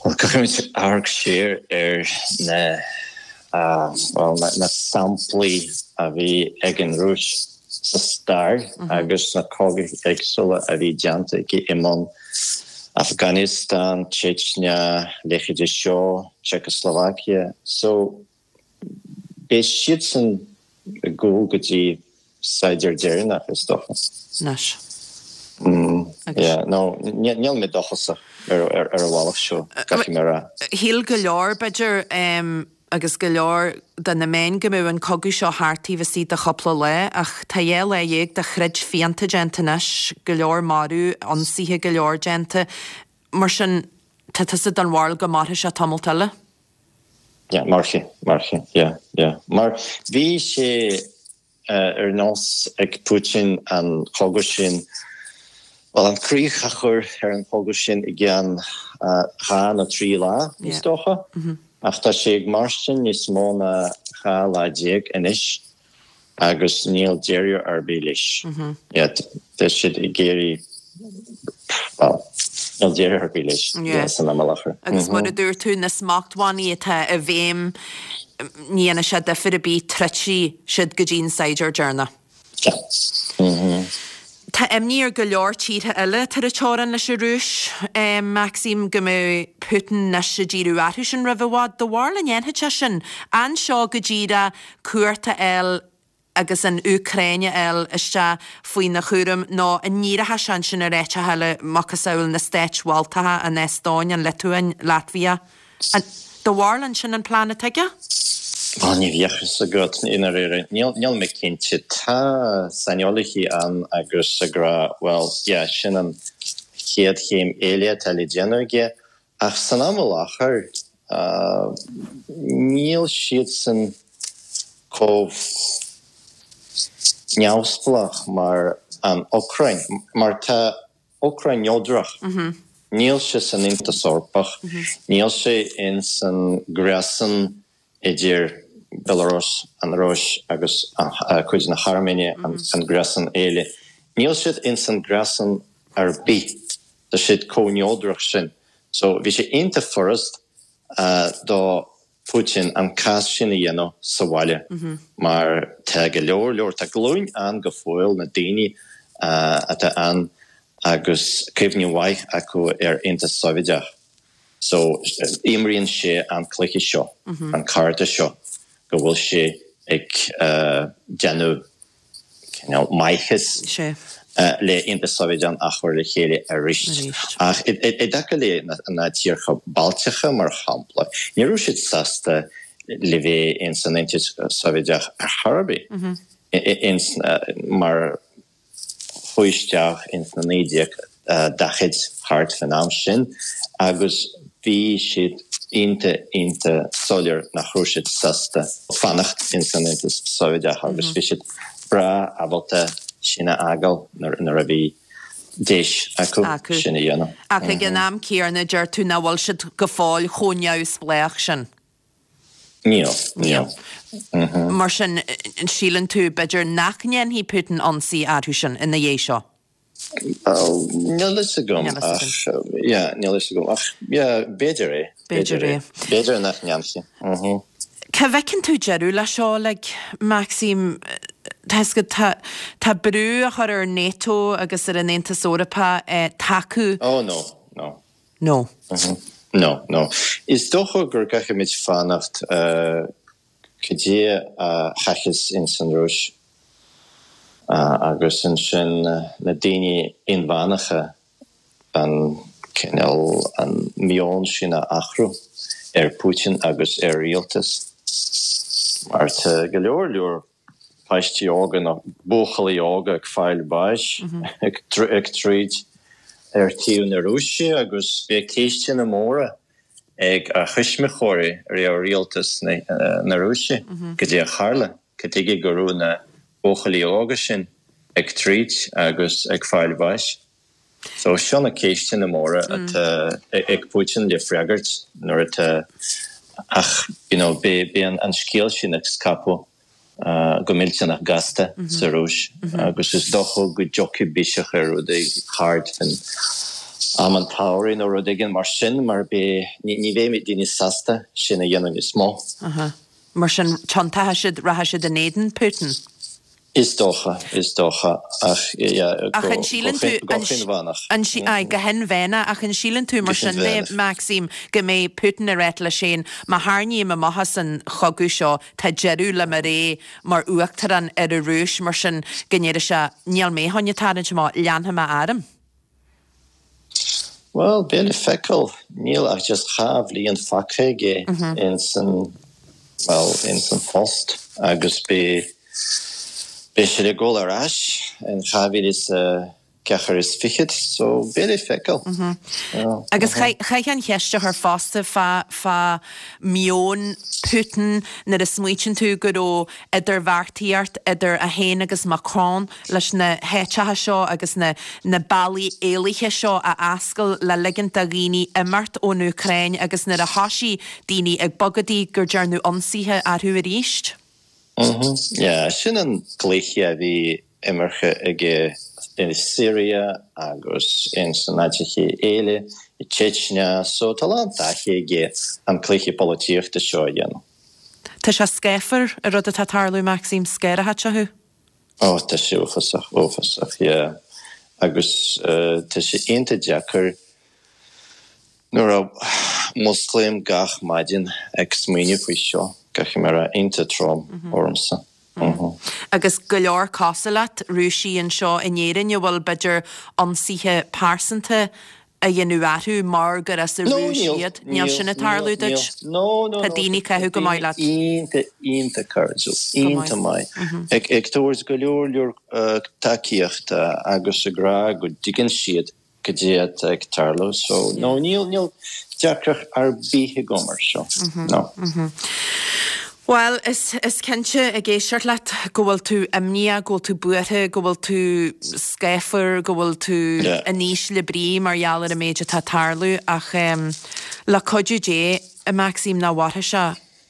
Bhuel, caithfimid amharc siar ar na, bhuel, na samplaí a bhí ag an Rúis sa stair agus na cogaí éagsúla a bhí déanta aici i mbun Afghanistan, Chechnya, leithéidí seo, Czechoslovakia. So, beidh siadsan ag gabháil go dtí saighdiúir deireanach, is dócha. Anois. Yeah, no, níl mé dóchasach ar an bhealach seo, caithfidh mé a rá. Shíl go leor, b'fhéidir. agus go leor de na meáin go mbeadh an cogadh seo thart taobh istigh de chúpla lá ach tá 12 lá de throid fiánta déanta anois, go leor marú, ionsaithe go leor déanta. Mar sin, tá tusa den bharúil go mairfidh sé tamalt eile? Yeah, mairfidh, mairfidh, yeah, yeah. Mar bhí sé ar nós ag Putin an cogadh sin, bhuel, an críoch a chur ar an chogadh sin i gceann 2 nó 3 lá, is dócha. Ach tá sé ag mairstin níos mó ná 12 lá anois agus níl deireadh ar bith leis. Yeah, tá siad ag iarraidh, bhuel, níl deireadh ar bith leis, yeah, san am i láthair. Agus mar a dúirt tú, na smachtbhannaí atá i bhfeidhm, ní dhéanfaidh sé difear ar bith, troidfidh siad go dtí an saighdiúir deireanach. Tá imní ar go leor tíortha eile atá ar an teorainn leis an Rúis, Maxim, go mbeidh Putin anois ag díriú orthu sin roimh i bhfad. Do bharúil an ndéanfaidh sé sin? An seo go díreach cumhacht a fháil agus an Úcráin a fháil isteach faoina chúram nó an ndíreoidh sé ansin ar áiteacha eile, macasamhail na Stáit Bhaltacha, an Eastóin, an Liotuáin, Latvia? An, do bharúil an sin an plean atá aige? Bhuel, ní bheadh fhios agat, i ndáiríre. Níl, níl mé cinnte. Tá saineolaithe ann agus ag rá, bhuel, yeah, sin an chéad chéim eile atá le déanamh aige. Ach san am i láthair, níl siadsan chomh neamhspleách mar an Úcráin, mar tá Úcráin neodrach. Níl sé san Aontas Eorpach, níl sé ins an gréasán idir Belarus, an Rúis agus cuid na hAirméine, an gréasán eile. Níl siad ins an gréasán ar bith. Tá siad chomh neodrach sin. So bhí sé iontach furast do Putin an cás sin a dhéanamh sa bhaile mar tá go leor leor, tá glúin ann go fóill, na daoine atá ann agus cuimhne mhaith acu ar Aontas Sóivéadach. So imríonn sé an cluiche seo, an cárta seo, go bhfuil sé ag déanamh cineál maitheas le Aontas Sóivéadach a chur le chéile arís. Ach i dtaca le na tíortha Baltacha, mar shampla, ní raibh siad sásta le bheith ins an Aontas Sóivéadach ar chor ar bith, ins mar chuaigh isteach ins na 1940 thart fán am sin agus bhí siad iontach iontach soiléir nach raibh siad sásta fanacht ins an Aontas Sóivéadach agus bhí siad breá ábalta sin a fhágáil nuair a bhí deis acu sin a dhéanamh. Ach ag an am céanna deir tú nach bhfuil siad go fóill chomh neamhspleách sin. Níl, níl. Mar sin, an síleann tú, b'fhéidir, nach ndéanfaidh Putin ionsaí orthu sin ina dhiaidh seo? Níl fhios agam ach, yeah, níl fhios agam ach, yeah, b'fhéidir é. B'fhéidir é. B'fhéidir nach ndéanfaidh. Cá bhfeiceann tú deireadh leis seo uilig, Maxim? Tá fhios agat, tá, tá brú á chur ar NATO agus ar an Aontas Eorpach tacú. Oh no, no. No. No, no. Is dócha gur gcaithfimid fanacht go dtí a thiocfas ins an Rúis agus ansin na daoine inmheánacha an cineál, an meon sin a athrú ar Putin agus ar rialtas mar tá go leor leor páistí óga nó buachaillí óga ag fáil bháis ag troid ar taobh na Rúise agus beidh ceisteanna móra ag a thuismitheoirí ar rialtas na Rúise goidé a tharla, cad tuige go raibh na buachaillí óga sin ag troid agus ag fáil bháis. So seo na ceisteanna móra atá ag Putin le freagairt nuair atá ach you know beidh an scéal sin ag scaipeadh go millteanach gasta sa Rúis agus is dócha go dtiocfaidh biseach ar rudaí thart faoin am an tsamhraidh nó rud éigin mar sin mar beidh ní bheidh daoine sásta sin a dhéanamh níos mó. Mar sin tiontóidh siad rachaidh siad in éadan Putin. Is dócha, is dócha, ach yeah, Ach an síleann tú, go hinmheánach. An, aye, go hinmheánach, ach an síleann tú mar sin de, Maxim, go mbeidh Putin ag ráit leis féin, má tharraingím amach as an chogadh seo, tá deireadh le mo ré mar uachtarán ar an Rúis, mar sin go ndéarfaidh sé, níl mé chun tarraingt amach, leanfaidh mé orm. Bhuel, beidh le feiceáil. Níl ach just 2 bhliain fágtha aige ins an. bhuel, ins an phost agus beidh, beidh siad ag dul ar ais in 2024 so beidh le feiceáil. Agus chaithfeá an cheist a chur fosta fá, fá meon Putin nuair a smaoitíonn tú go raibh idirbheartaíocht idir é féin agus Macron leis na háiteacha seo agus na na bealaí éalaithe seo a oscailt le ligint do dhaoine imeacht ón Úcráin agus nuair a thoisigh daoine ag bogadaigh gur dearnadh ionsaithe orthu arís. Yeah, sin an cluiche a bhí imeartha aige i Syria agus ins an áiteacha eile, i Chechnya, so tá a lán taithí aige an cluiche polaitíochta seo a dhéanamh. Tá sé scáfar, an rud atá ag tarlú, Maxime, scanraithe thú. Ó, tá sé uafásach, uafásach, yeah. Agus tá sé iontach deacair nuair a mhusclaím gach maidin ag smaoineamh faoi seo, caithfidh mé a rá, iontach trom ormsa. Agus go leor cosúil leat, Rúisigh anseo in Éirinn a bhfuil b'fhéidir ionsaithe pearsanta á dhéanamh orthu mar gur as an Rúis iad. Níl sin ag tarlú duit? Tá daoine ag caitheamh go maith leat. Iontach, iontach cairdiúil, iontach maith. Ag tabhairt go leor leor tacaíochta agus ag rá go dtuigeann siad cad é atá ag tarlú. So, no, níl, níl deacracht ar bith agam ar seo. No. Bhuel, is, is cinnte ag éisteacht leat go bhfuil tú imníoch, go bhfuil tú buartha, go bhfuil tú scáfar, go bhfuil tú in ísle brí mar gheall ar an méid atá ag tarlú ach le cuidiú Dé, a Maxime, nach mhairfidh sé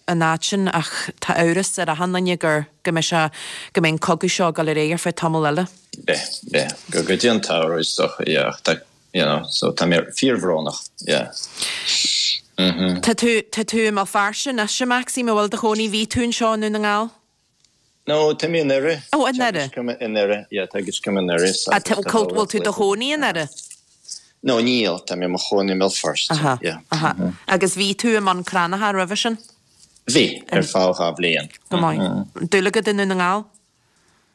an fhad sin ach tá amhras ar achan duine gur, go mbeidh sé, go mbeidh an cogadh seo ag dul ar aghaidh ar feadh tamall eile. Beidh, beidh. Go, go dtí an tsamhradh is dócha, yeah, ach tá, you know, so tá mé fíorbhrónach, yeah. Mhm. Tá tú, tá tú i mBéal Feirste anois, a Maxime, an bhfuil do chónaí, bhí tú anseo i nDún na nGall? No, tá mé i nDoire. Oh, i nDoire. Teagascaim i nDoire, yeah, teagascaim i nDoire. Ah, tá, bhfuil tú i do chónaí i nDoire? No, níl, tá mé i mo chónaí i mBéal Feirste, Aha, yeah. aha. Agus bhí tú i mBun Cranncha roimhe sin? Bhí, ar feadh 2 bhliain. Go maith. Dúil agat i nDún na nGall?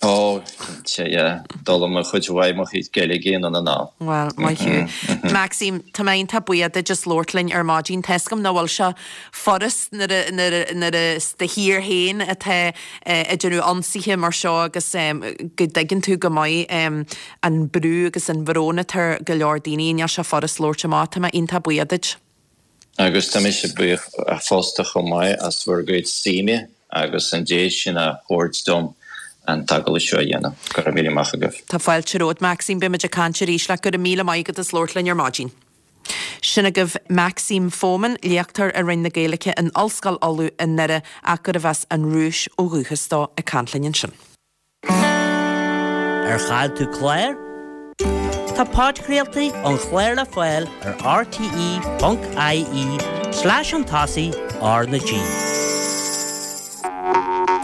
Ó, cinnte, yeah. D'fhoghlaim mé cuid mhaith mo chuid Gaeilge i nDún na nGall. Bhuel, maith thú. Maxime, tá mé iontach buíoch duit as labhairt linn ar maidin. Tá 'fhios agam nach bhfuil sé furast nuair a, nuair a, nuair a is do thír féin atá ag déanamh ionsaithe mar seo agus go dtuigeann tú go maith an brú agus an bhrón atá ar go leor daoine. Níl sé furast labhairt amach. Tá mé iontach buíoch duit. Agus tá mise buíoch fosta chomh maith as bhur gcuid suime agus an deis sin a thabhairt dom an t-agallamh seo a dhéanamh. Go raibh míle maith agaibh. Tá fáilte romhat, Maxime. Beimid ag caint arís leat. Go raibh míle maith agat as labhairt linn ar maidin. Sin agaibh Maxime Fomin, léachtóir i Roinn na Gaeilge in Ollscoil Uladh i nDoire ach gurbh as an Rúis ó dhúchas dó, ag caint linn ansin. Ar chaill tú clár? Tá podchraoltaí an chláir le fáil ar rte.ie slash an tosaigh R na G.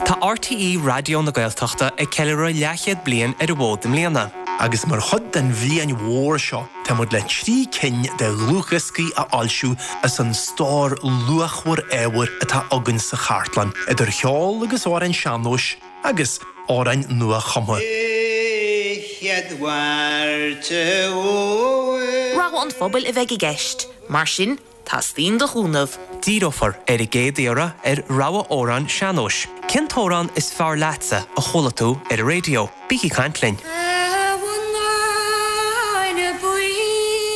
Tá RTÉ Raidió na Gaeltachta ag ceiliúradh leathchéad bliain ar an bhfód i mbliana. Agus mar chuid den bhliain mhór seo, tá muid le 3 cinn de dhlúthdhioscaí a fhoilsiú as an stór luachmhar ábhair atá againn sa chartlann, idir cheol agus amhráin sean-nóis, agus amhráin nua-chumtha. Rogha an phobail a bheidh i gceist, mar sin teastaíonn do chúnamh. Díreofar ar an gcéad iarraidh ar rogha amhrán sean-nóis. Cén t-amhrán is fearr leatsa a chuala tú ar an raidió? Bígí ag caint linn!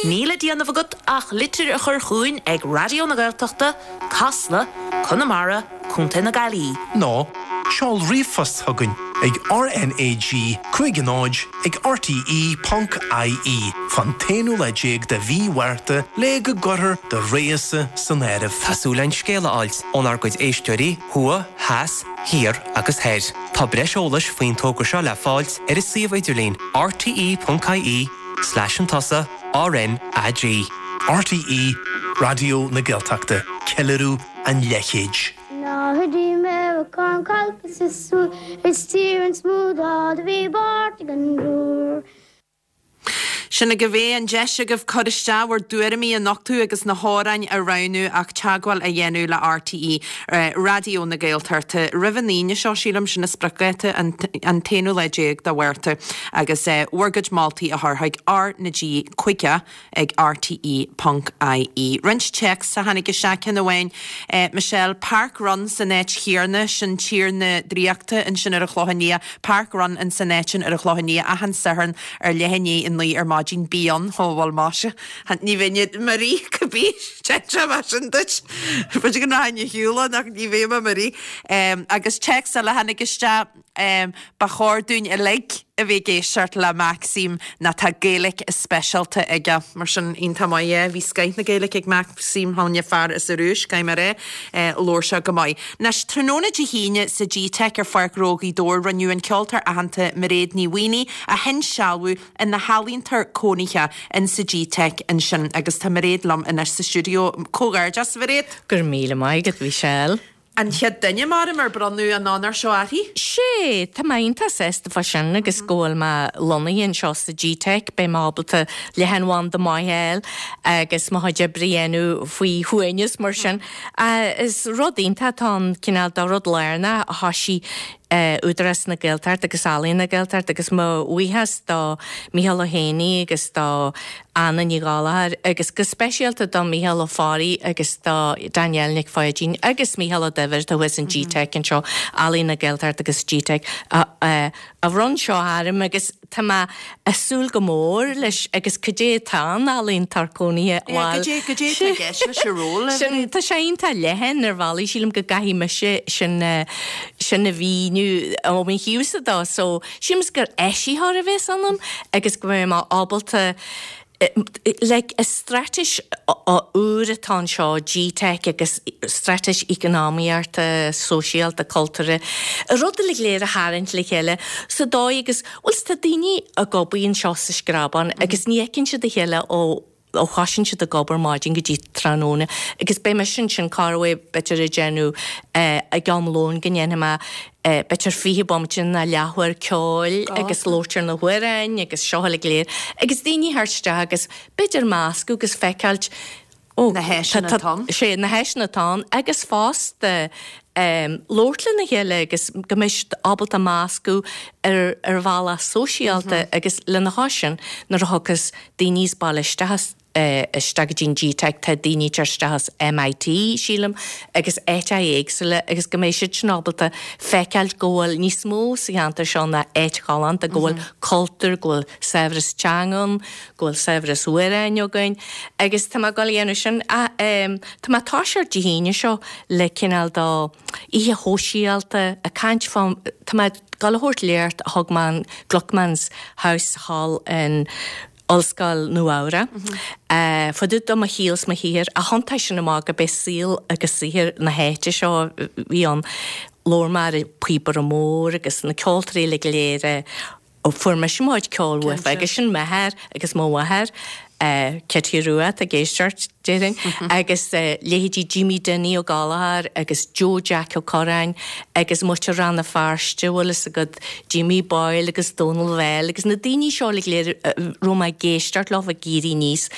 Níl le déanamh agat ach litir a chur chugainn ag Raidió na Gaeltachta, Casla, Conamara, Co. na Gaillimhe. Nó seol ríomhphost chugainn ag RNAG 50 ag rte ponc ie fán t-aonú lá déag de mhí Mhárta le go gcuirfear do rogha-sa san áireamh. Tá súil againn scéal a fháilt ónár gcuid éisteoirí thuaidh, theas, thiar agus thoir. Tá breis eolais faoin togra seo le fáilt ar an suíomh idirlín rte ponc ie slash an tosaigh RNAG. RTÉ Raidió na Gaeltachta, ceiliúradh an leathchéid. Sin agaibh é, an deis agaibh cur isteach, bhur dtuairimí a nochtadh agus na hamhráin a roghnú ach teagmháil a dhéanamh le RTÉ Raidió na Gaeltachta roimh an Aoine seo, sílim, sin an spriocdháta, an t-aonú lá déag de Mhárta, agus bhur gcuid moltaí a chur chuig R na G 50 ag rte ponc ie. Roinnt téacs a tháinig isteach, ceann amháin, Michelle, Park Run san áit chéarna, sin Tír na Draíochta ansin ar an Chlochán Liath, Park Run in san áit sin ar an Chlochán Liath achan Satharn ar leath i ndiaidh a 9 ar maidin, bí ann, ó bhuel maise, ní bheinn i mo rith cibé, déarfaidh mé sin duit, b'fhéidir go rachainn ar shiúl ann ach ní bheidh mé i mo rith. Agus téacs eile a tháinig isteach, Ba chóir dúinn uilig a bheith ag éisteacht le Maxime nó tá Gaeilge speisialta aige. Mar sin, iontach maith é. Bhí scoith na Gaeilge ag Maxime Thóin fear as an Rúis, caithfidh mé a rá. Labhair sé go maith. Anois, tráthnóna Dé hAoine sa G-Teic ar Pháirc Ghnó Ghaoth Dobhair rinneadh an ceoltóir aitheanta Mairéad Ní Mhaonaigh a hinsealbhú ina healaíontóir cónaithe in sa G-Teic ansin agus tá Mairéad liom anois sa stiúideo. Comhghairdeas, a Mhairéad! Go raibh míle maith agat, Michelle. An chéad duine, maram, ar bronnadh an onóir seo uirthi. Sé, tá mé iontach sásta fá sin agus go bhfuil mé lonnaithe anseo sa G-Teic, beidh mé ábalta leathanbhanda maith a fháil agus mo chuid oibre a dhéanamh faoi shuaimhneas mar sin. Is rud iontach atá ann, cineál de rud lárnach a thoisigh Údarás na Gaeltachta agus Ealaíon na Gaeltachta agus mo bhuíochas do Mícheál Ó hÉanaí agus do Anna Ní Ghallchóir agus go speisialta do Mícheál Ó Fearraigh agus do Danielle Nic Pháidín agus Mícheál Ó Duibhir atá thuas in G-Teic anseo, Ealaíon na Gaeltachta agus G-Teic a bhronn seo orm agus tá mé ag súil go mór leis agus cad é atá in ealaíontóir cónaithe bhuel Cad é cad é atá i gceist leis an ról? Sin tá sé iontach leathan ar bhealaí sílim go gcaithfidh mise sin sin a mhíniú ó mo thaobhsa de so Sílim gur áisitheoir a bhéas ionam agus go mbeidh mé ábalta like is straitéis úr atá anseo, G-Teic agus straitéis eacnamaíochta, sóisialta, cultúrtha, rud uilig léir a tharraingt le chéile sa dóigh agus, bhuel tá daoine ag obair anseo sa Screabán agus ní fheiceann siad a chéile ó ó thosaíonn siad ag obair maidin go dtí tráthnóna agus beidh mise ansin corruair b'fhéidir ag déanamh ag am lóin go ndéanfaidh mé b'fhéidir 20 bomaite nó leathuair ceoil agus labhairt ar na hamhráin agus seo uilig léir agus daoine theacht isteach agus b'fhéidir meascadh agus feiceáilt ó na háiseanna atá ann. Sé na háiseanna atá ann agus fosta labhairt lena chéile agus go mbeidh siad ábalta meascadh ar ar bhealach sóisialta agus lena chois sin nuair a thiocfas daoine as baile isteach as, isteach go dtí an G-Teic, tá daoine ag teacht isteach as MIT, sílim, agus áiteacha éagsúla agus go mbeidh siad sin ábalta feiceáilt go bhfuil níos mó sa cheantar seo ná áit ghalánta, go bhfuil cultúr, go bhfuil saibhreas teanga ann, go bhfuil saibhreas amhráin againn agus tá mé ag dul a dhéanamh sin. Tá mé ag toiseacht Dé hAoine seo le cineál de oíche shóisialta, ag caint fá, tá mé ag dul a thabhairt léacht a thug mé in Gluckman's House thall in Ollscoil Nua Eabhrac, fá dtaobh de mo shaol 's mo shaothar, ach thiontaigh sin amach go b'é saol agus saothar na háite seo a bhí ann. Labhair mé ar an Píobaire Mór agus na ceoltóirí uilig go léir a fuair mise mo chuid ceoil uafa agus sin m'athair agus mo mháthair, Kitty Rua atá ag éisteacht, déarfainn, agus leithéidí Jimmy Dinny Ó Gallchóir agus Joe Jack Ó Curráin agus muintir Rann na Feirste, bhfuil fhios agat, Jimmy Boyle agus Dónal Bhell agus na daoine seo uilig léir a raibh mé ag éisteacht leo ag éirí aníos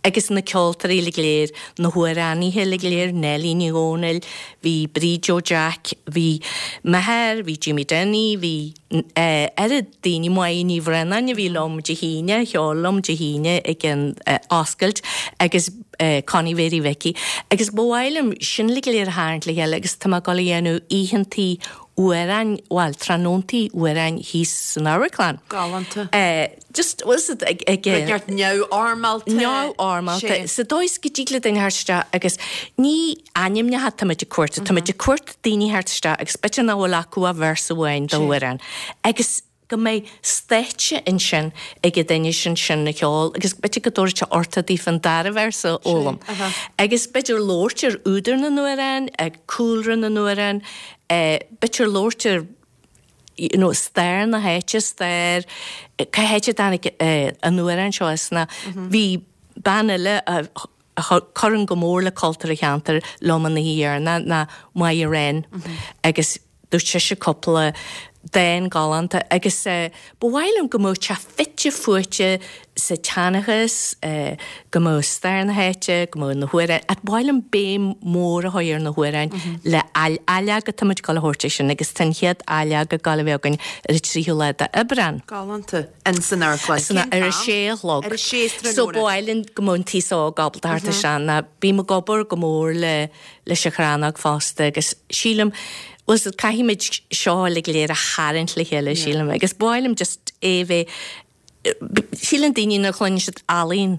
agus na ceoltóirí uilig léir, na hamhránaithe uilig léir, Neilí Ní Dhomhnaill, bhí Bríd Joe Jack, bhí m'athair, bhí Jimmy Denny, bhí. oiread daoine, Máire Ní Bhraonáin a bhí liom Dé hAoine, a cheol liom Dé hAoine ag an oscailt agus Connie Mhéirí Mhicí. Agus ba mhaith liom sin uilig go léir a tharraingt le chéile agus tá mé ag dul a dhéanamh oícheantaí amhráin, bhuel, tráthnóntaí amhráin thíos san amharclann. Galánta. Just, bhfuil fhios agat, ag, ag. Rud neart neamhfhoirmeálta. Neamhfhoirmeálta. Sa dóigh is go dtig le duine theacht isteach agus ní ainmneacha táimid ag cuartú, táimid ag cuartú daoine theacht isteach agus b'fhéidir nach bhfuil acu ach véarsa amháin d'amhrán agus go mbeidh stáitse ansin ag an duine sin sin a cheol agus b'fhéidir go dtabharfaidh sé orthu daofa an dara véarsa a fhoghlaim. Agus b'fhéidir labhairt ar údar na n-amhrán, cúlra na n-amhrán, b'fhéidir labhairt ar you know stair na háite, stair, cá háit a dtáinig an amhrán seo as ná bhí bean eile a chuireann go mór le cultúr an cheantair liom an oíche dheireanach ná Máire Wren agus dúirt sise cúpla. Dán galánta agus ba mhaith liom go mbeadh sé fite fuaite sa tseanchas, go mbeadh stair na háite, go mbeadh na hamhráin, ach ba mhaith liom béim mhór a chur ar na hamhráin le ailleog atá muid ag dul a thabhairt air sin agus tá an chéad ailleog ag dul a bheith againn ar an tríú lá d'Aibreán. Galánta. In san amharclann. San ar a sé a chlog. Ar a sé tráthnóna. So ba mhaith linn go mbeadh an t-aos óg ábalta theacht isteach ná bím ag obair go mór le leis an Chrannóg fosta agus sílim, bhuel so caithfimid seo uilig go léir a tharraingt le chéile sílim agus ba mhaith liom just é a bheith, síleann daoine nuair a chluineann siad ealaín,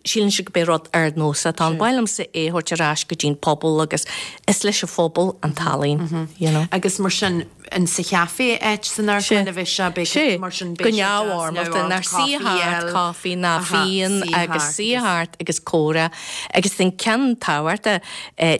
síleann siad go b'é rud ardnósach atá ann. Ba mhaith liomsa é a thabhairt ar ais go dtí'n pobal agus is leis an phobal an t-ealaín, you know. Agus mar sin, in sa chaife áit san amharclann a bheidh sé, beidh Sé, mar sin go beidh sé deas neamhfhoirmeálta, neamhfhoirmeálta, ná suí caife a thart, fháil, caife ná aha, fíon suí agus thart suí agus. thart agus comhrá. Agus an ceann tábhachtach,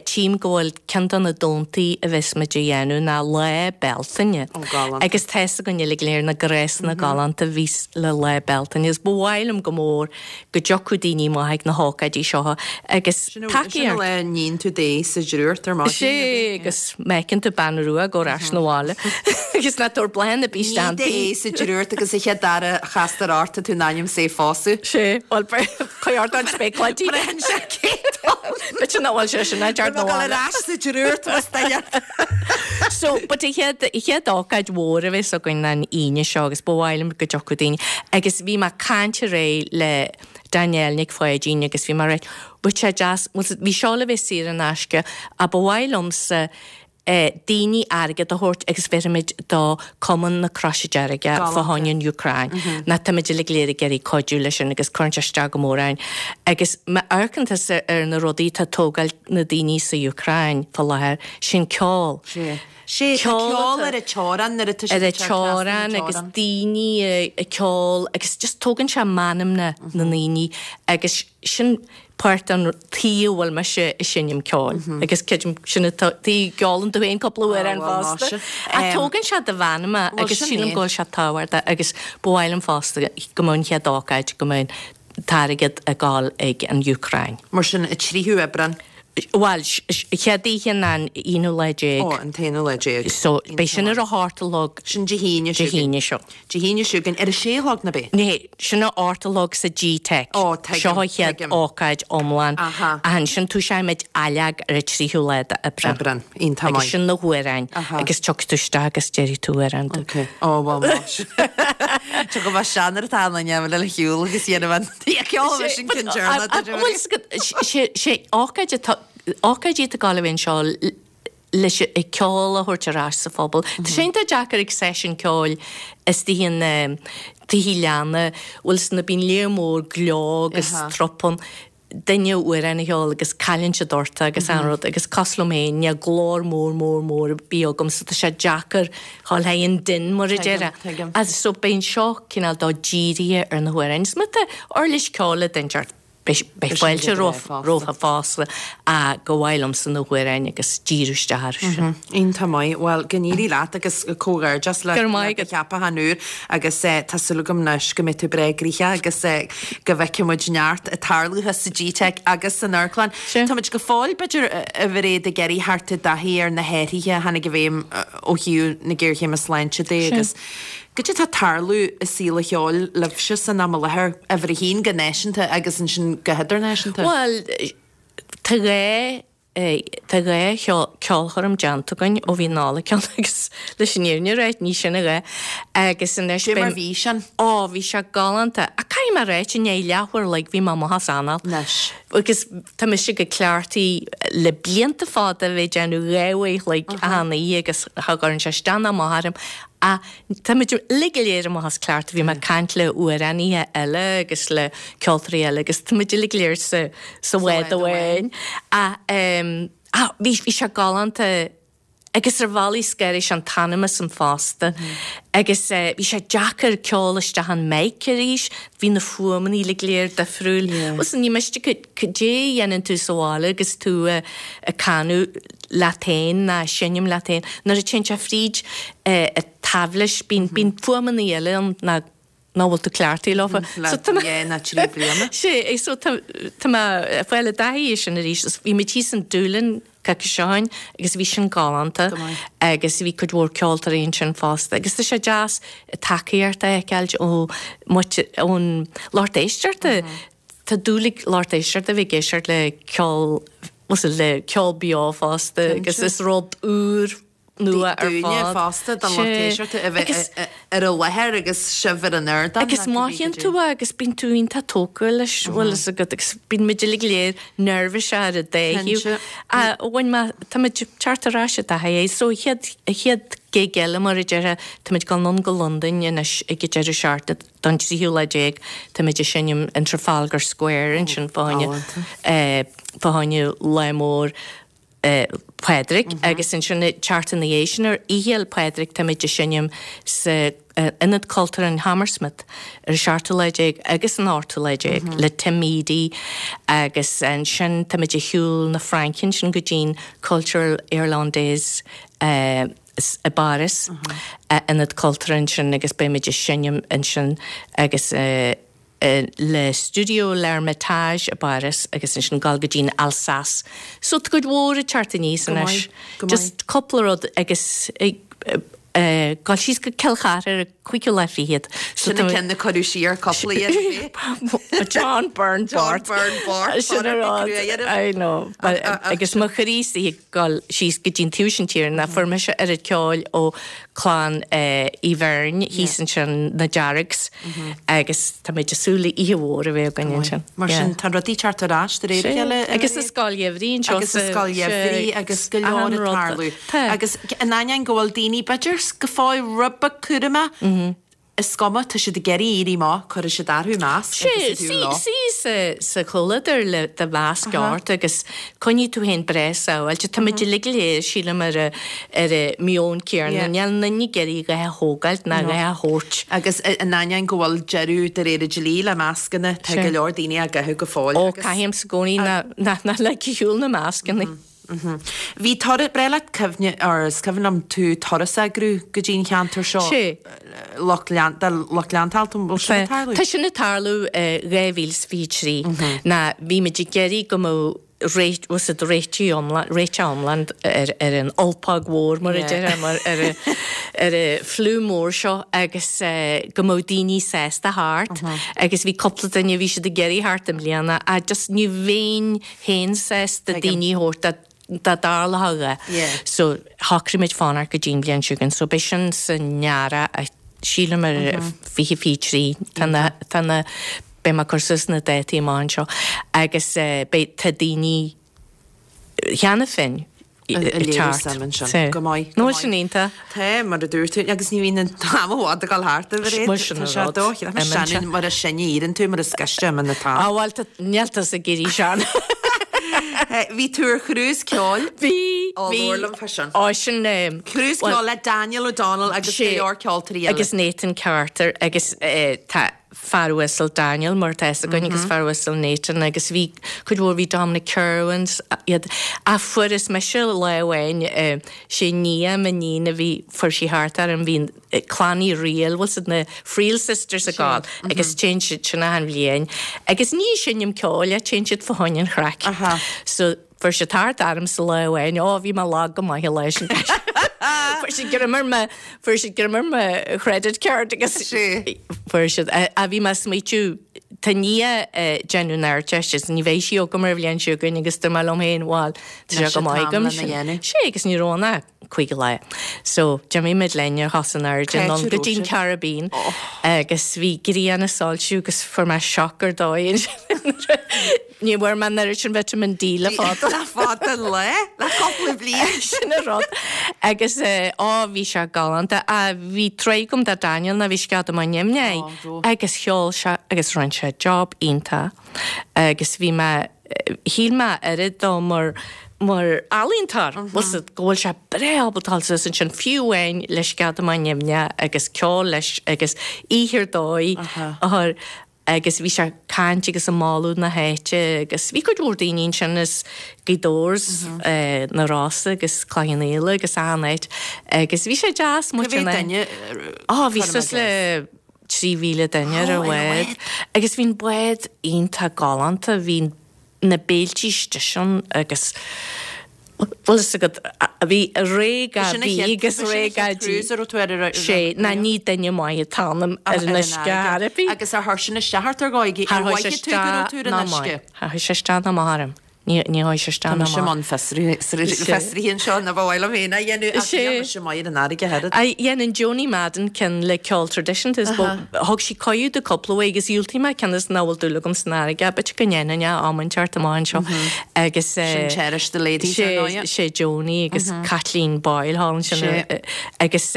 tchím go bhfuil ceann de na dántaí a bheas muid a dhéanamh ná Lá Bealtaine. Ó, galánta. Agus tá's againn uilig go léir na gnéasanna galánta a bhíos le Lá Bealtaine agus ba mhaith liom go mór go dtiocfadh daoine amach ag na hócáidí seo agus Sin an tacaíocht. lá a níonn tú d'ae sa drúcht ar maidin. Sé agus má fheiceann tú bean rua ag gabháil ar ais 'na bhaile agus ná tabhair bláthanna ar bith Ní isteach d'ae sa drúcht agus a chéad dara chastar ort tá tú in ainm 's é phósadh. Sé, bhuel cuir ort an spéacláidí. Braitheann sé cé dó. B'fhéidir nach bhfuil sé sin ag teacht Tá 'na mé ag dul bhaile. ar ais sa drúcht más duine. So, but an chéad, an chéad ócáid mhór a bheas againn ná an Aoine seo agus ba mhaith liom go dtiocfadh daoine. Agus bhí mé ag caint aréir le Danielle Nic Pháidín agus bhí mé ag ráit, bheadh sé deas, bhuel bhí seo le bheith saor in aisce ach ba mhaith liomsa eh daoine airgead a thabhairt agus bhéarfaimid do Cumann na Croise Deirge fá choinne an Úcráin. Ná táimid uilig go léir ag iarraidh cuidiú leis sin agus cuireann sé isteach go mór orainn. Agus má amharcann tusa ar na rudaí atá ag tógáil na daoine sa Úcráin fá láthair, sin ceol. Sé. Sé, tá ceol ar an teorainn nuair atá siad ag teacht trasna na teorann. Agus daoine ag ceol agus just tógann sé meanmna na ndaoine agus sin páirt den tuige a bhfuil mise ag seinm ceoil agus creidim sin an tuige a gceolann tú féin cúpla amhrán fosta. Ach tógann sé do mheanma agus sílim go bhfuil sé tábhachtach agus ba mhaith liom fosta go mbeadh an chéad ócáid go mbeadh an t-airgead ag dul ag an Úcráin. Mar sin, an 3ú Aibreán. Bhuel, chéad oíche ná an aonú lá déag. Ó, an t-aonú lá déag. So, beidh sin ar a hocht a chlog. Sin Dé hAoine seo chugainn. Dé hAoine seo. Dé hAoine seo chugainn, ar a sé a chlog nó b'é? Ní, sin a hocht a chlog sa GTeic. Ó, tuigim, Seo an chéad tuigim. ócáid iomlán. Aha. Ach ansin toiseoimid ailleog ar an tríú lá d'Aibreán. Aibreán, iontach maith. Agus sin na hamhráin. Aha. Agus tiocfaidh tú isteach agus déarfaidh tú amhrán tú. Ok. Ó, bhuel, más. Tá go maith sean ar atá ann, le shiúl agus dhéanamh an ceol leis an gcinsearna. Bhuel, sé ócáid atá, ócáidí atá ag gabháil a bheith anseo leis an ceol a thabhairt ar ais sa phobal. Tá sé iontach deacair ag seisiún ceoil istigh in tithe leanna, bhfuil 's na bíonn léar mór gleo agus trup ann. duine amhrán a cheol agus cailleann siad ort agus an rud agus cosúil liom féin níl glór mór mór mór ar bith agam so tá sé deacair dhul thar an din mar a déarfá. Tuigim. Agus so beidh seo cineál dó dírithe ar na hamhráin. Is má tá uirlis ceoil ag duine inteacht beidh beidh fáilte rompu fosta ach ba mhaith liomsa na hamhráin agus díriú isteach orthu sin. Iontach maith. Bhuel, go n-éirí leat agus comhghairdeas le Go raibh maith do agat. cheapachán úr agus tá súil agam anois go mbeidh tú breá gnoitheach agus go bhfeicfidh muid neart ag tarlú sa GTeic agus san amharclann. Táimid go fóill, b'fhéidir, a Mhairéad, ag iarraidh theacht i dtaithí ar na hathruithe a tháinig i bhfeidhm ó thaobh na géarchéime sláinte de agus goidé atá ag tarlú i saol an cheoil libhse san am i láthair, uimhir a haon go náisiúnta agus ansin go hidirnáisiúnta? Bhuel, tá gá Tá 2 cheolchoirm déanta againn ó bhí an Nollaig ann agus leis an fhírinne a ráit, ní sin a dhath. Agus anois Cé mar bhí sin? Ó, bhí sé galánta. Ach caithfidh mé a ráit, i ndiaidh leathuair a chloig bhí mé amach as anáil. Anois. Agus tá mise go cleachtaithe le blianta fada a bheith ag déanamh 2 uair a chloig achan oíche agus cha gcuireann sé isteach ná amach orm. Ach táimid uilig go léir amach as cleachtadh. Bhí mé ag caint le amhránaithe eile agus le ceoltóirí eile agus táimid uilig go léir sa sa bhád amháin. Ach ach bhí bhí sé galánta agus ar bhealaí scanraigh sé an t-anam asam fosta. Agus bhí sé deacair ceol isteach an mic arís, bhí na fuaimeanna uilig go léir difriúil. Bhuel ní miste cad é a dhéanann tú sa bhaile agus tú ag canadh leat féin ná seinm leat féin. Nuair a téann sé fríd an táibhlis, bíonn bíonn fuaimeanna eile ann ná nach bhfuil tú cleachtaithe leofa. Le So tá mé dhá ná trí bliana. Sé, so tá tá mé ag fáil i dtaithí air sin arís. Bhí muid thíos in Doolin. coicís ó shin agus bhí sin galánta agus bhí cuid mhór ceoltóirí ansin fosta agus tá sé deas tacaíocht a fheiceáilt ó ón lucht éisteachta. Tá dúil ag lucht éisteachta a bheith ag éisteacht le ceol, le ceol beo fosta agus is rud úr nua ar fad. Dúinne fosta, don lucht éisteachta a bheith ar an láthair agus sibh ar an ardán. Agus mothaíonn tú é agus bíonn tú iontach tógtha leis, bhfuil fhios agat, agus bíonn muid uilig go léir neirbhíseach ar an dá thaobh. Bhain mé, tá muid ag teacht ar ais i dtaithí é. So an chéad, an chéad gig eile mar a déarfá, tá muid ag dul anonn go Londain anois ag an deireadh seachtaine don tríú lá déag, tá muid ag seinm in Trafalgar Square ansin fá choinne, fá choinne lá mór. Pádraig agus ansin an tseachtain ina dhiaidh sin ar Oíche Fhéil Pádraig táimid ag seinm sa Ionad Cultúrtha in Hammersmith ar an seachtú lá déag agus an ochtú lá déag le Tim Edey agus ansin táimid ag shiúl na Fraince ansin go dtí'n Cultural Irlandaise i bPáras, Ionad Cultúrtha ansin agus beimid ag seinm ansin agus le Studio L'Ermitage i bPáras agus ansin dul go dtí'n Alsace. So tá cuid mhór ag teacht aníos anois. Just cúpla rud agus ag dul síos go Cill Chartha ar an cúigiú lá fichead. Sin an ceann a cuireadh siar cúpla uair. John Byrne Bart. John Byrne Bart. Sin an rud. I know. Agus mo chroí istigh ag dul síos go dtí'n taobh sin tíre ná fuair mise oiread ceoil ó clann Uí Bheirn thíos ansin, na Deargs, agus tá muid ag súil le oíche mhór a bheith againn ansin. Mar sin, tá rudaí ag teacht ar ais de réir a chéile. Agus an scoil gheimhridh anseo. Agus an scoil gheimhridh agus go leor ag tarlú. Agus in ainneoin go bhfuil daoine, b'fhéidir, go fóill rud beag cúramach, Is cuma, tá siad ag iarraidh éirí amach, cuirfidh siad orthu masc agus iad leo. Suí sa chomhluadar le do mhasc ort agus coinnigh tú féin breá sábháilte. Tá muid uilig go léir, sílim, ar an meon céanna. Níl aon duine ag iarraidh a dhath a thógáilt ná a dhath a thabhairt. Agus in ainneoin go bhfuil deireadh de réir an dlí le mascanna, tá go leor daoine á gcaitheamh go fóill. Ó, caithimse i gcónaí ná lig ar shiúl na mascanna. Bhí turas, breá leat cuimhne, or is cuimhin liom tú turas a eagrú go dtí an cheantar seo. Sé. Lucht lean, do lucht leanta, an bhfuil sin ag tarlú? Tá sin ag tarlú i 2023. Ná bhí muid ag iarraidh go mbeadh réit, bhfuil fhios agat, réitigh iomlán, réiteach iomlán ar, ar an ulpóg mhór mar a déarfá, mar ar an, ar an fliú mór seo agus go mbeadh daoine sásta theacht agus bhí cúpla duine, bhí siad ag iarraidh theacht i mbliana ach just ní bheinn féin sásta daoine a thabhairt dá dtarlódh a dhath. So shocraigh muid fanacht go dtí an bhliain seo chugainn. So beidh sin san earrach sílim ar 2023. Tá na, tá na, beidh mé ag cur suas na dátaí amach anseo agus beidh, tá daoine cheana féin ag léiriú suim ansin. Go maith. Nó sin iontach. Tá, mar a dúirt tú, agus ní bhíonn an t-am i bhfad ag dul thart a Mhairéad. Bhuel, sin an rud. Tá sé dóigh, sin mar is sine a éiríonn tú, mar is gaiste a imíonn an t-am. Á bhuel, tá, níl tusa ag éirí sean. Bhí tú ar chrús ceoil. Bhí, Ó, bhí. labhair liom fá sin. Ó, sin. Cruise ceoil le Daniel O'Donnell agus go leor ceoltóirí eile. Agus Nathan Carter agus tá fear uasal Daniel mar atá fhios againn agus fear uasal Nathan agus bhí cuid mhór, bhí Dominic Kirwan iad ach fuaireas mise lá amháin sé nia m'iníon a bhí, fuair sí thart orm, bhí clann Uí Fhrighil, bhfuil fhios agat na Friel Sisters ag gabháil agus téann siad sin achan bhliain agus ní ag seinm ceoil ach téann siad fá choinne an chraic. So Fuair siad tart ormsa lá amháin, ó bhí mé lag go maith an lá sin. Fuair siad greim ar mo, fuair siad greim ar mo chredit card agus fuair siad, a bhí mé ag smaoitiú, tá Nia ag déanamh an Ardteist agus ní bheidh sí agam ar an bhliain seo chugainn agus dúirt mé liom féin, bhuel, tá sé go maith agam sin. Sé agus ní raibh ann ach 5 lá. So, d'imigh muid linn ar chos in airde anonn go dtí an Caribbean agus bhí grian ag soilsiú agus fuair mé shock ar dóigh ansin. Ní bhfuair mé an oiread sin vitamin D le fada. Le fada an lá, le cúpla bliain. Sin an rud. Agus á bhí sé galánta. Á bhí truaigh agam do Daniel ná bhí scead amuigh nimhneach agus cheol sé agus rinne sé job iontach agus bhí mé, shíl mé oiread dó mar mar ealaíontóir, bhfuil fhios agat, go bhfuil sé breá ábalta dul suas ansin fiú amháin le scead amuigh nimhneach agus ceol leis agus oíche ar dóigh a chur agus bhí sé ag caint agus ag moladh na háite agus bhí cuid mhór daoine ansin as Gaoth Dobhair 's na Rosa agus Cloich Cheann Fhaola agus achan áit agus bhí sé deas muid Cá mhéad duine Á bhí suas le 3,000 duine ar an bhád agus bhí an bád iontach galánta, bhí na béiltí istigh ann agus. Bhfuil fhios agat, bhí réidh dhá bhí agus réidh dhá dí. Sé, ná ní duine maith atá ionam ar an uisce ar bith. Agus ar chuir sin isteach ort ar dhóigh? Ar mhothaigh tú go raibh tú ar an uisce? Char chuir sé isteach ná amach orm. Ní chuir sé isteach Tá ná mise i amach. mbun fiosraithe anseo, ná ba mhaith liom féin é a dhéanamh ach níl mise maith ar an fharraige oiread. Dhéanann Joni Madden ceann le ceol traidisiúnta is thug sí cuireadh domh cúpla uair agus dhiúltaigh mé cionn is nach bhfuil dúil agam san fharraige. B'fhéidir go ndéanfainn é am inteacht amach anseo agus. Sin Cherish the Ladies ar ndóigh. Sé Joni agus Caitlín Boyle thall ansin agus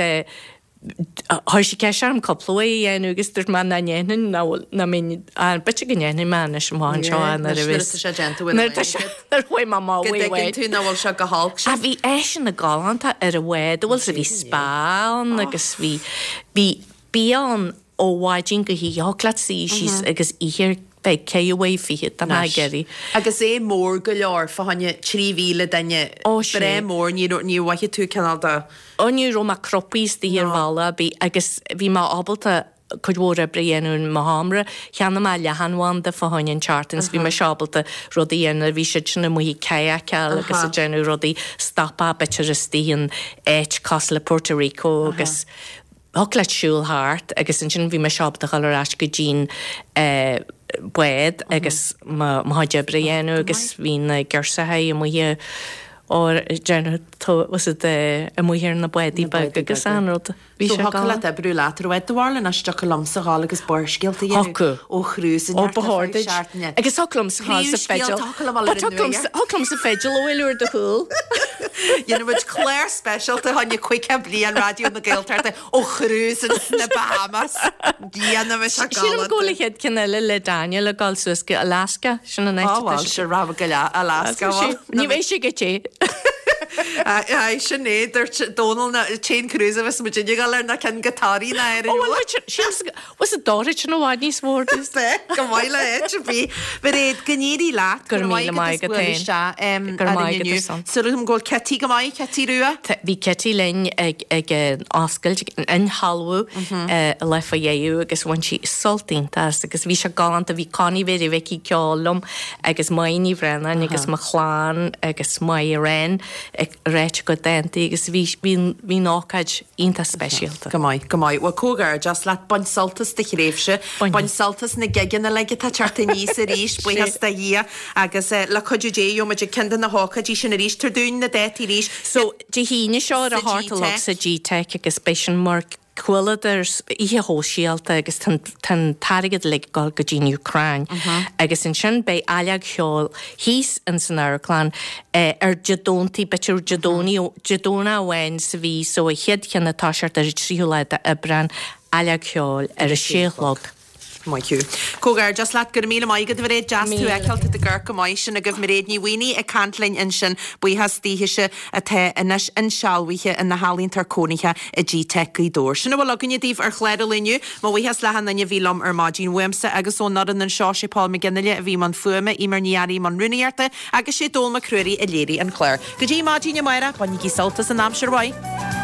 chuir sí ceist orm cúpla uair é a dhéanamh agus dúirt mé nach ndéanfainn nach bhfuil nach mbeinn b'fhéidir go ndéanfaidh mé anois amach anseo nuair a bheas Nuair atá sé déanta uair nuair atá sé nuair a chuaigh mé amach Go dtuigeann tú nach bhfuil sé go holc sin. Bhí áiseanna galánta ar an bhád, bhfuil 's bhí spa ann agus bhí bhí bia ann ó mhaidin go hoíche, thiocfadh leat suí síos agus ithe ar feadh ceithre uair fichead dá mbeifeá ag iarraidh. Agus é mór go leor, fá choinne 3,000 duine, Ó sé. breá mór, ní raibh, níor mhothaigh tú cineál de. Ó ní raibh mé cruptha istigh ar bhealach ar bith agus bhí mé ábalta cuid mhór oibre a dhéanamh i mo sheomra. Cheannaigh mé leathanbhanda fá choinne an tseachtain is bhí mise ábalta rudaí a dhéanamh, bhí siad sin amuigh ag kayakáil agus ag déanamh rudaí, stopadh b'fhéidir istigh in áit cosúil le Puerto Rico agus Thiocfadh leat siúl thart agus ansin bhí mise ábalta dhul ar ais go dtí'n bád agus mo chuid oibre a dhéanamh agus bhí na girseachaí amuigh ag déanamh was it amuigh ar na bádaí beaga agus an rud. Bhí sé So thiocfadh leat oibriú leat ar bhád do bharúil anois dtiocfadh liomsa dhul agus barrscéalta a dhéanamh ó chrús Ó ba chóir duit. Agus thiocfadh liomsa dhul sa bhfidil. Thiocfadh liomsa fidil a bhualadh ar do chúl. Dhéanfaidh muid clár speisialta fá choinne 50 bliain Raidió na Gaeltachta ó chrús ins na Bahamas. Dhéanfaimis é Sílim go bhfuil an chéad ceann eile le Daniel ag dul suas go Alaska, sin an áit atá sé. Á bhuel, sin rogha go leith, Alaska. Ní bheidh sé go te. Aye, sin é, dúirt Dónal an t-aon cruise a bheas muid ag dul air ná ceann go Toraigh ná ar an Ó bhuel, sílim Was it dóite sin i bhfad níos mó ar dtús? Bheadh, go maith le áit ar bith. Mairéad, go n-éirí leat. Go raibh míle maith agat féin. Go raibh maith agat ar son. Súil agam go bhfuil Kitty go maith, Kitty Rua. Bhí Kitty linn ag ag an oscailt, ag an insealbhú an lá fá dheireadh agus bhain sí sult iontach as agus bhí sé galánta. Bhí Connie Mhéirí Mhicí ag ceol liom agus Máire Ní Bhraonáin agus mo chlann agus Máire Wren ag ráit a gcuid dántaí agus bhí bhí bhí an ócáid iontach speisialta. Go maith, go maith. Bhuel, comhghairdeas leat. Bain sult as do thréimhse. Bain sult as na gigeanna uilig atá ag teacht aníos arís, buíochas do Dhia. Agus le cuidiú Dé, gheobhaimid ag ceann de na hócáidí sin arís. Tabhair dúinn na dátaí arís. So, Dé hAoine seo ar a hocht a chlog sa GTeic agus beidh sin mar chomhluadar oíche shóisialta agus tá an t-airgead uilig ag dul go dtí an Úcráin. Agus ansin beidh Ailleog Cheoil thíos ins an amharclann ar Dé Domhntaigh, b'fhéidir Dé Domhnaigh, Dé Domhnach amháin sa mhí, so an chéad cheann ag toiseacht ar an tríú lá d'Aibreán, Ailleog Cheoil ar a sé a chlog. Maith thú. Comhghairdeas leat. Go raibh míle maith agat, a Mhairéad. Deas tú a fheiceáil. Tá tú ag amharc go maith. Sin agaibh Mairéad Ní Mhaonaigh ag caint linn ansin. Buíochas daoithese atá anois insealbhaithe ina healaíontóir cónaithe i GTeic Gaoth Dobhair. Sin a bhfuil againne daoibh ar chlár an lae inniu. Mo bhuíochas le hachan duine a bhí liom ar maidin. Uaimse agus ón fhoireann anseo, sé Paul McGinley a bhí i mbun fuaime, Eimear Ní Fhearraigh i mbun rúnaíochta agus sé Dónal Mac Ruairí a léirigh an clár. Go dtí maidin amárach, bainigí sult as an aimsir mhaith.